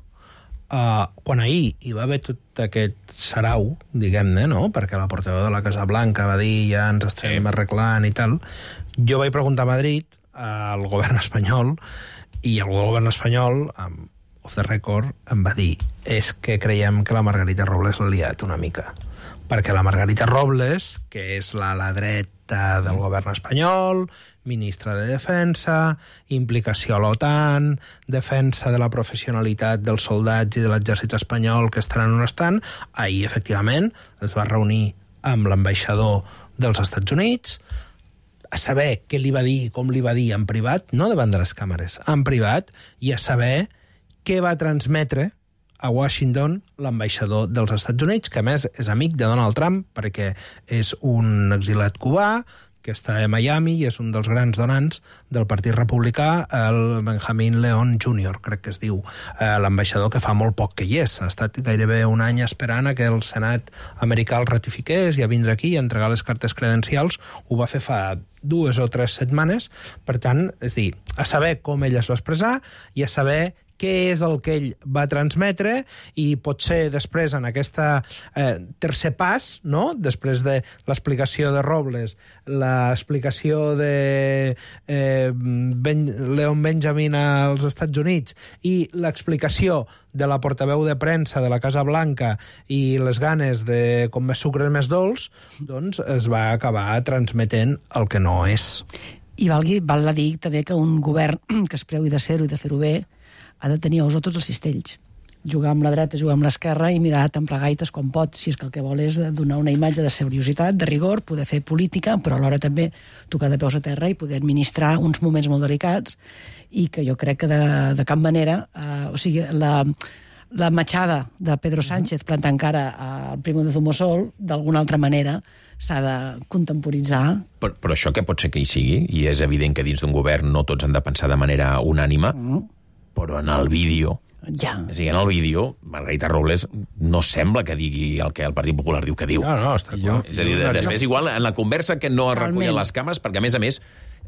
Uh, quan ahir hi va haver tot aquest sarau, diguem-ne, no? Perquè la portaveu de la Casa Blanca va dir ja ens estem arreglant i tal, jo vaig preguntar a Madrid al govern espanyol i el govern espanyol, um, off the record, em va dir és que creiem que la Margarita Robles l'ha liat una mica. Perquè la Margarita Robles, que és l'ala dreta del govern espanyol, ministra de Defensa, implicació a l'OTAN, defensa de la professionalitat dels soldats i de l'exèrcit espanyol que estaran on estan, ahir, efectivament, es va reunir amb l'ambaixador dels Estats Units a saber què li va dir, com li va dir en privat, no davant de les càmeres, en privat, i a saber què va transmetre a Washington l'ambaixador dels Estats Units, que a més és amic de Donald Trump perquè és un exilat cubà que està a Miami i és un dels grans donants del Partit Republicà, el Benjamin Leon júnior, crec que es diu, eh, l'ambaixador que fa molt poc que hi és. Ha estat gairebé un any esperant a que el Senat americà el ratifiqués i a vindre aquí i a entregar les cartes credencials. Ho va fer fa dues o tres setmanes. Per tant, és dir, a saber com ell es va expressar i a saber què és el que ell va transmetre i potser després en aquest eh, tercer pas, no? Després de l'explicació de Robles, l'explicació de eh, ben, Leon Benjamin als Estats Units i l'explicació de la portaveu de premsa de la Casa Blanca i les ganes de com més sucre més dolç, doncs es va acabar transmetent el que no és. I valgui, val a dir també que un govern que es preu de ser-ho i de fer-ho bé ha de tenir ous a tots els cistells. Jugar amb la dreta, jugar amb l'esquerra i mirar tan plegaites com pot, si és que el que vol és donar una imatge de seriositat, de rigor, poder fer política, però alhora també tocar de peus a terra i poder administrar uns moments molt delicats i que jo crec que de, de cap manera, eh, o sigui, la, la matxada de Pedro Sánchez plantant cara al Primo de Zumosol, d'alguna altra manera, s'ha de contemporitzar. Però, però això que pot ser que hi sigui, i és evident que dins d'un govern no tots han de pensar de manera unànime, mm. però en el vídeo, ja. és a dir, en el vídeo, Margarita Robles no sembla que digui el que el Partit Popular diu que diu. No, no, està clar. És a dir, després igual en la conversa que no es recullen les càmeres, perquè a més a més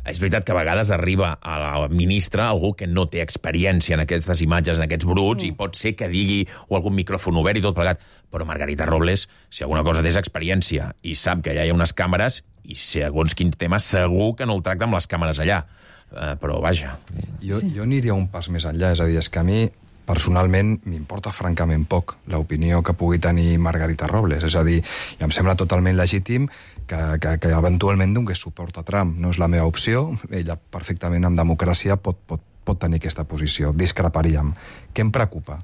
és veritat que a vegades arriba a la ministra algú que no té experiència en aquestes imatges, en aquests bruts, mm. i pot ser que digui o algun micròfon obert i tot plegat. Però Margarita Robles, si alguna cosa té és experiència i sap que allà hi ha unes càmeres i segons quin tema segur que no el tracta amb les càmeres allà. Uh, però vaja... Jo, sí. jo aniria un pas més enllà, és a dir, és que a mi personalment m'importa francament poc l'opinió que pugui tenir Margarita Robles, és a dir, i em sembla totalment legítim que, que, que eventualment donés suport a Trump. No és la meva opció, ella perfectament en democràcia pot, pot, pot tenir aquesta posició, discreparíem. Què em preocupa?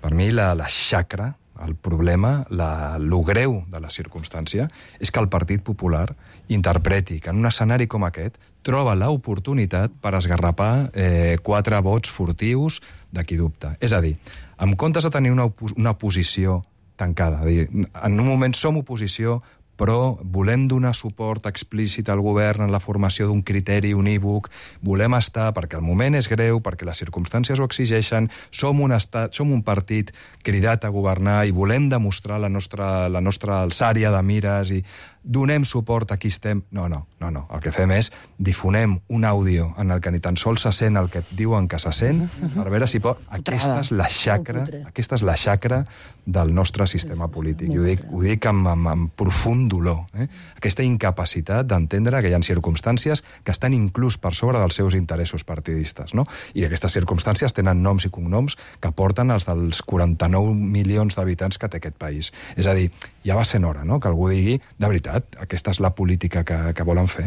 Per mi la, la xacra, el problema, la, lo greu de la circumstància, és que el Partit Popular interpreti que en un escenari com aquest troba l'oportunitat per esgarrapar eh, quatre vots furtius de qui dubta. És a dir, en comptes de tenir una, una posició tancada, dir, en un moment som oposició, però volem donar suport explícit al govern en la formació d'un criteri unívoc, volem estar, perquè el moment és greu, perquè les circumstàncies ho exigeixen, som un, estat, som un partit cridat a governar i volem demostrar la nostra, la nostra alçària de mires i donem suport a qui estem... No, no, no, no. El que fem és difonem un àudio en el que ni tan sols se sent el que diuen que se sent, per veure si pot... Aquesta és la xacra, aquesta és la xacra del nostre sistema polític. I ho dic, ho dic amb, amb, amb profund dolor. Eh? Aquesta incapacitat d'entendre que hi ha circumstàncies que estan inclús per sobre dels seus interessos partidistes, no? I aquestes circumstàncies tenen noms i cognoms que porten els dels quaranta-nou milions d'habitants que té aquest país. És a dir, ja va sent hora, no?, que algú digui, de veritat, aquesta és la política que, que volen fer.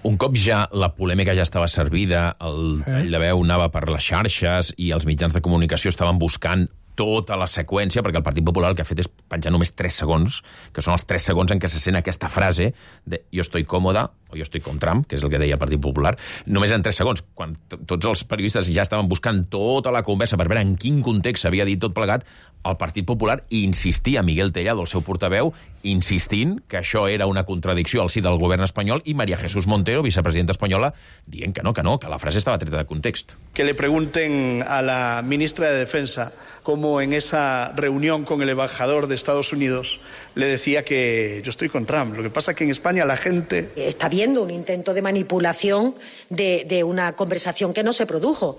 Un cop ja la polèmica ja estava servida, el tall de veu anava per les xarxes i els mitjans de comunicació estaven buscant tota la seqüència, perquè el Partit Popular el que ha fet és penjar només tres segons, que són els tres segons en què se sent aquesta frase de jo estoy còmoda o jo estoy con Trump, que és el que deia el Partit Popular, només en tres segons, quan tots els periodistes ja estaven buscant tota la conversa per veure en quin context s'havia dit tot plegat, el Partit Popular insistia, Miguel Tellado, el seu portaveu, insistint que això era una contradicció al si del govern espanyol i María Jesús Montero, vicepresidenta espanyola, dient que no, que no, que la frase estava treta de context. Que le pregunten a la ministra de Defensa cómo en esa reunión con el embajador de Estados Unidos le decía que yo estoy con Trump. Lo que pasa es que en España la gente... Está viendo un intento de manipulación de, de una conversación que no se produjo.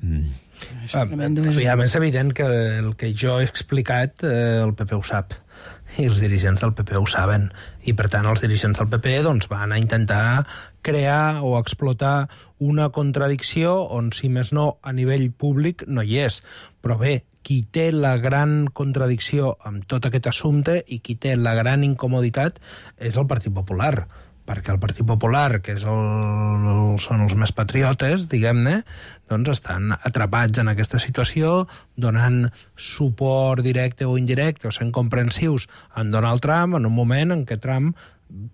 Mm. És, uh, és evident que el que jo he explicat eh, el P P ho sap i els dirigents del P P ho saben i per tant els dirigents del P P doncs, van a intentar crear o explotar una contradicció on si més no a nivell públic no hi és, però bé, qui té la gran contradicció amb tot aquest assumpte i qui té la gran incomoditat és el Partit Popular, perquè el Partit Popular, que és el, són els més patriotes, diguem-ne, doncs estan atrapats en aquesta situació, donant suport directe o indirecte, o sent comprensius en Donald Trump, en un moment en què Trump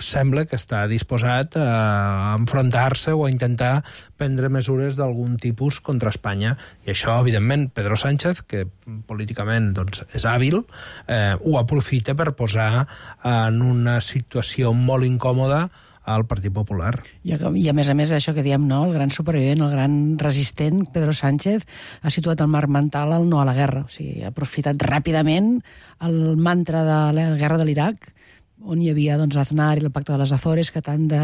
sembla que està disposat a enfrontar-se o a intentar prendre mesures d'algun tipus contra Espanya. I això, evidentment, Pedro Sánchez, que políticament doncs, és hàbil, eh, ho aprofita per posar en una situació molt incòmoda al Partit Popular. I a, I a més a més, això que diem, no? El gran supervivent, el gran resistent, Pedro Sánchez, ha situat el marc mental al no a la guerra. O sigui, ha aprofitat ràpidament el mantra de la guerra de l'Iraq, on hi havia doncs, Aznar i el Pacte de les Azores, que tant, de,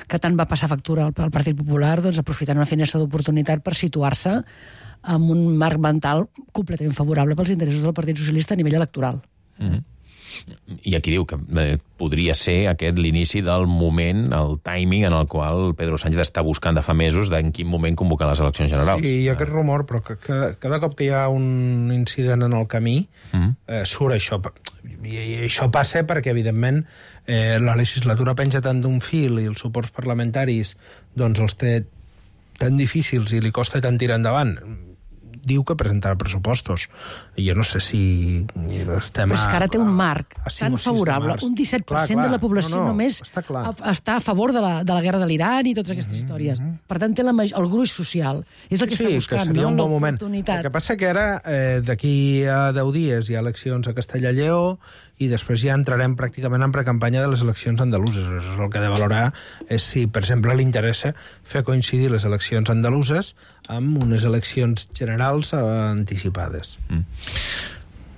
que tant va passar factura al, al Partit Popular, doncs, aprofitant una finestra d'oportunitat per situar-se amb un marc mental completament favorable pels interessos del Partit Socialista a nivell electoral. Mm-hmm. I aquí diu que eh, podria ser aquest l'inici del moment, el timing en el qual Pedro Sánchez està buscant de fa mesos d'en quin moment convocar les eleccions generals. I hi ha aquest rumor, però que, que cada cop que hi ha un incident en el camí, mm. eh, surt això. I, I això passa perquè, evidentment, eh, la legislatura penja tant d'un fil i els suports parlamentaris doncs els té tan difícils i li costa tant tirar endavant. Diu que presentarà pressupostos. I jo no sé si estem... Però és que ara té un marc a, a tan favorable. Un disset per cent clar, clar. de la població no, no, només està, a, està a favor de la, de la guerra de l'Iran i totes aquestes mm-hmm. històries. Per tant, té la, el gruix social. És el que sí, està buscant, que seria no? un bon moment. El que passa que ara, eh, d'aquí a deu dies, hi ha eleccions a Castella-Lleó i després ja entrarem pràcticament en precampanya de les eleccions andaluses. Això és el que ha de valorar és si, per exemple, li interessa fer coincidir les eleccions andaluses amb unes eleccions generals anticipades. Mm.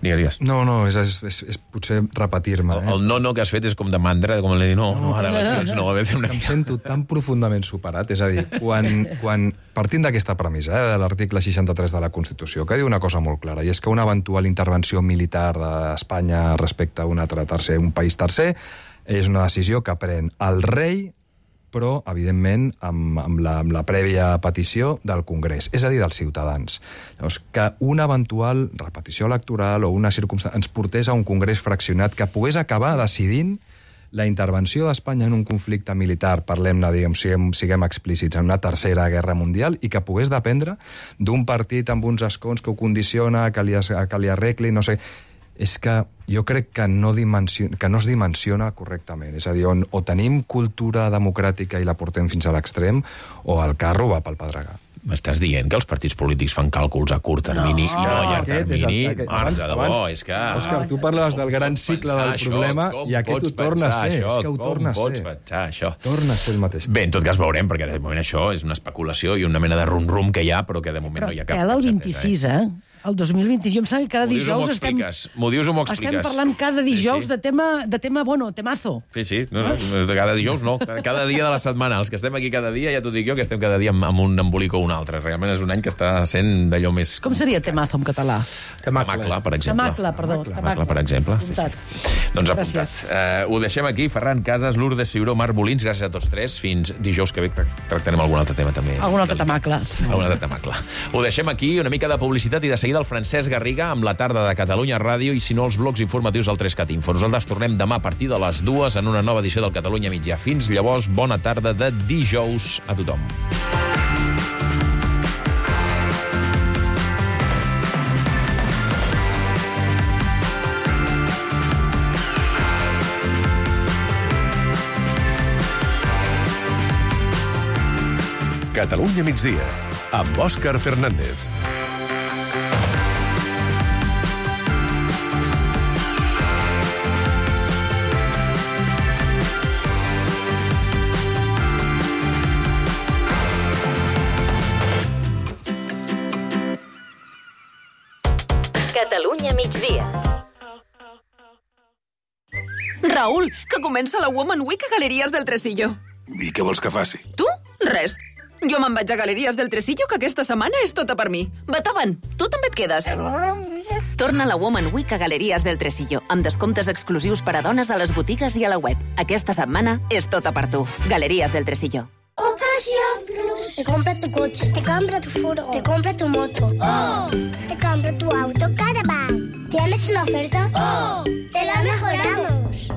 Digues, digues. No, no, és, és, és, és potser repetir-me. Eh? El, el no-no que has fet és com de mandra, com li dir, no, no, ara eleccions no. no. És que em sento tan profundament superat. És a dir, quan, quan partint d'aquesta premissa, eh, de l'article seixanta-tres de la Constitució, que diu una cosa molt clara, i és que una eventual intervenció militar d'Espanya respecte a un altre tercer, un país tercer, és una decisió que pren el rei, però, evidentment, amb, amb, la, amb la prèvia petició del Congrés, és a dir, dels ciutadans. Llavors, que una eventual repetició electoral o una circumstància ens portés a un Congrés fraccionat que pogués acabar decidint la intervenció d'Espanya en un conflicte militar, parlem-ne, diguem, siguem, siguem explícits, en una tercera guerra mundial, i que pogués dependre d'un partit amb uns escons que ho condiciona, que li, que li arregli, no sé... és que jo crec que no, dimensiona, que no es dimensiona correctament. És a dir, on, o tenim cultura democràtica i la portem fins a l'extrem, o el carro va pel pedregar. M'estàs dient que els partits polítics fan càlculs a curt termini no, i no a llarg termini? Marge de bo, és que... Òscar, tu parlaves del gran cicle del problema i aquest ho torna a ser. És que ho torna a ser. Com pots pensar això? Torna a ser el mateix. Bé, en tot cas veurem, perquè de moment això és una especulació i una mena de rum-rum que hi ha, però que de moment no hi ha cap... Però el vint-i-sis, eh? El dos mil vint, jo em sembla que cada dijous estem... M'ho dius o m'ho expliques? Estem parlant cada dijous sí, sí. de tema, de tema, bueno, temazo. Sí, sí, no, no, cada dijous no, cada dia de la setmana. Els que estem aquí cada dia, ja t'ho dic jo, que estem cada dia amb, amb un embolic o un altre. Realment és un any que està sent d'allò més... Com seria temazo en català? Temacla, per exemple. Temacla, perdó. Temacla, per exemple. Apuntat. Sí, sí. Doncs apuntat. Uh, ho deixem aquí. Ferran Casas, Lourdes Ciuró, Marc Molins, gràcies a tots tres. Fins dijous que ve tractarem algun altre tema també. Algun altre temacla. Algun altre temacla. Ho deixem aquí, una mica de publicitat i de seguida el Francesc Garriga amb la tarda de Catalunya Ràdio i, si no, els blocs informatius del tres cat Info. Nosaltres tornem demà a partir de les dues en una nova edició del Catalunya Mitjà. Fins llavors, bona tarda de dijous a tothom. Catalunya migdia, amb Òscar Fernández. Catalunya migdia. Raül, que comença la Woman Week a Galeries del Tresillo. I què vols que faci? Tu? Res. Jo me'n vaig a Galeries del Tresillo, que aquesta setmana és tota per mi. Bataven, tu també et quedes. Torna la Woman Week a Galeries del Tresillo, amb descomptes exclusius per a dones a les botigues i a la web. Aquesta setmana és tota per tu. Galeries del Tresillo. Ocasión Plus. Te compra tu coche, te compra tu furgo, te compra tu moto. ¡Oh! Te compra tu auto Caravan. ¿Tienes una oferta? ¡Oh! ¡Te la mejoramos!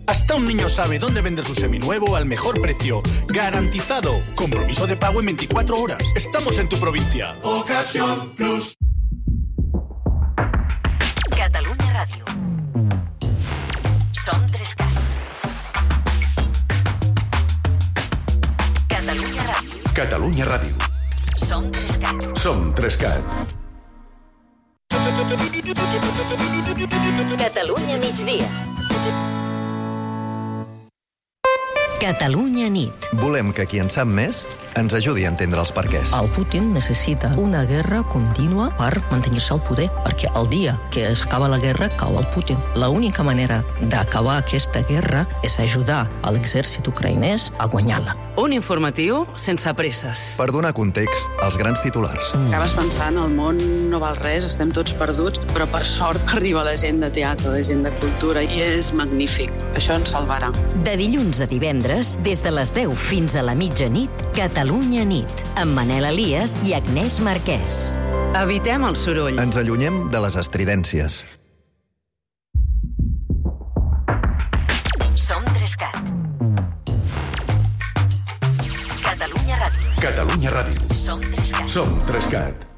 Hasta un niño sabe dónde vender su seminuevo al mejor precio. ¡Garantizado! Compromiso de pago en veinticuatro horas. Estamos en tu provincia. Ocasión Plus. Catalunya Ràdio. Som tres cat. Catalunya Ràdio. Catalunya Ràdio. Som tres cat. Som tres cat. Catalunya migdia. Catalunya nit. Volem que qui en sap més ens ajudi a entendre els perquès. El Putin necessita una guerra contínua per mantenir-se al poder, perquè el dia que s'acaba la guerra cau el Putin. L'única manera d'acabar aquesta guerra és ajudar a l'exèrcit ucraïnès a guanyar-la. Un informatiu sense presses. Per donar context als grans titulars. Acabes pensant, el món no val res, estem tots perduts, però per sort arriba la gent de teatre, la gent de cultura, i és magnífic. Això ens salvarà. De dilluns a divendres, des de les deu fins a la mitjanit, Catalunya nit, amb Manel Elias i Agnès Marquès. Evitem el soroll. Ens allunyem de les estridències. Som Trescat. Catalunya Ràdio. Catalunya Ràdio. Som Trescat. Som Trescat.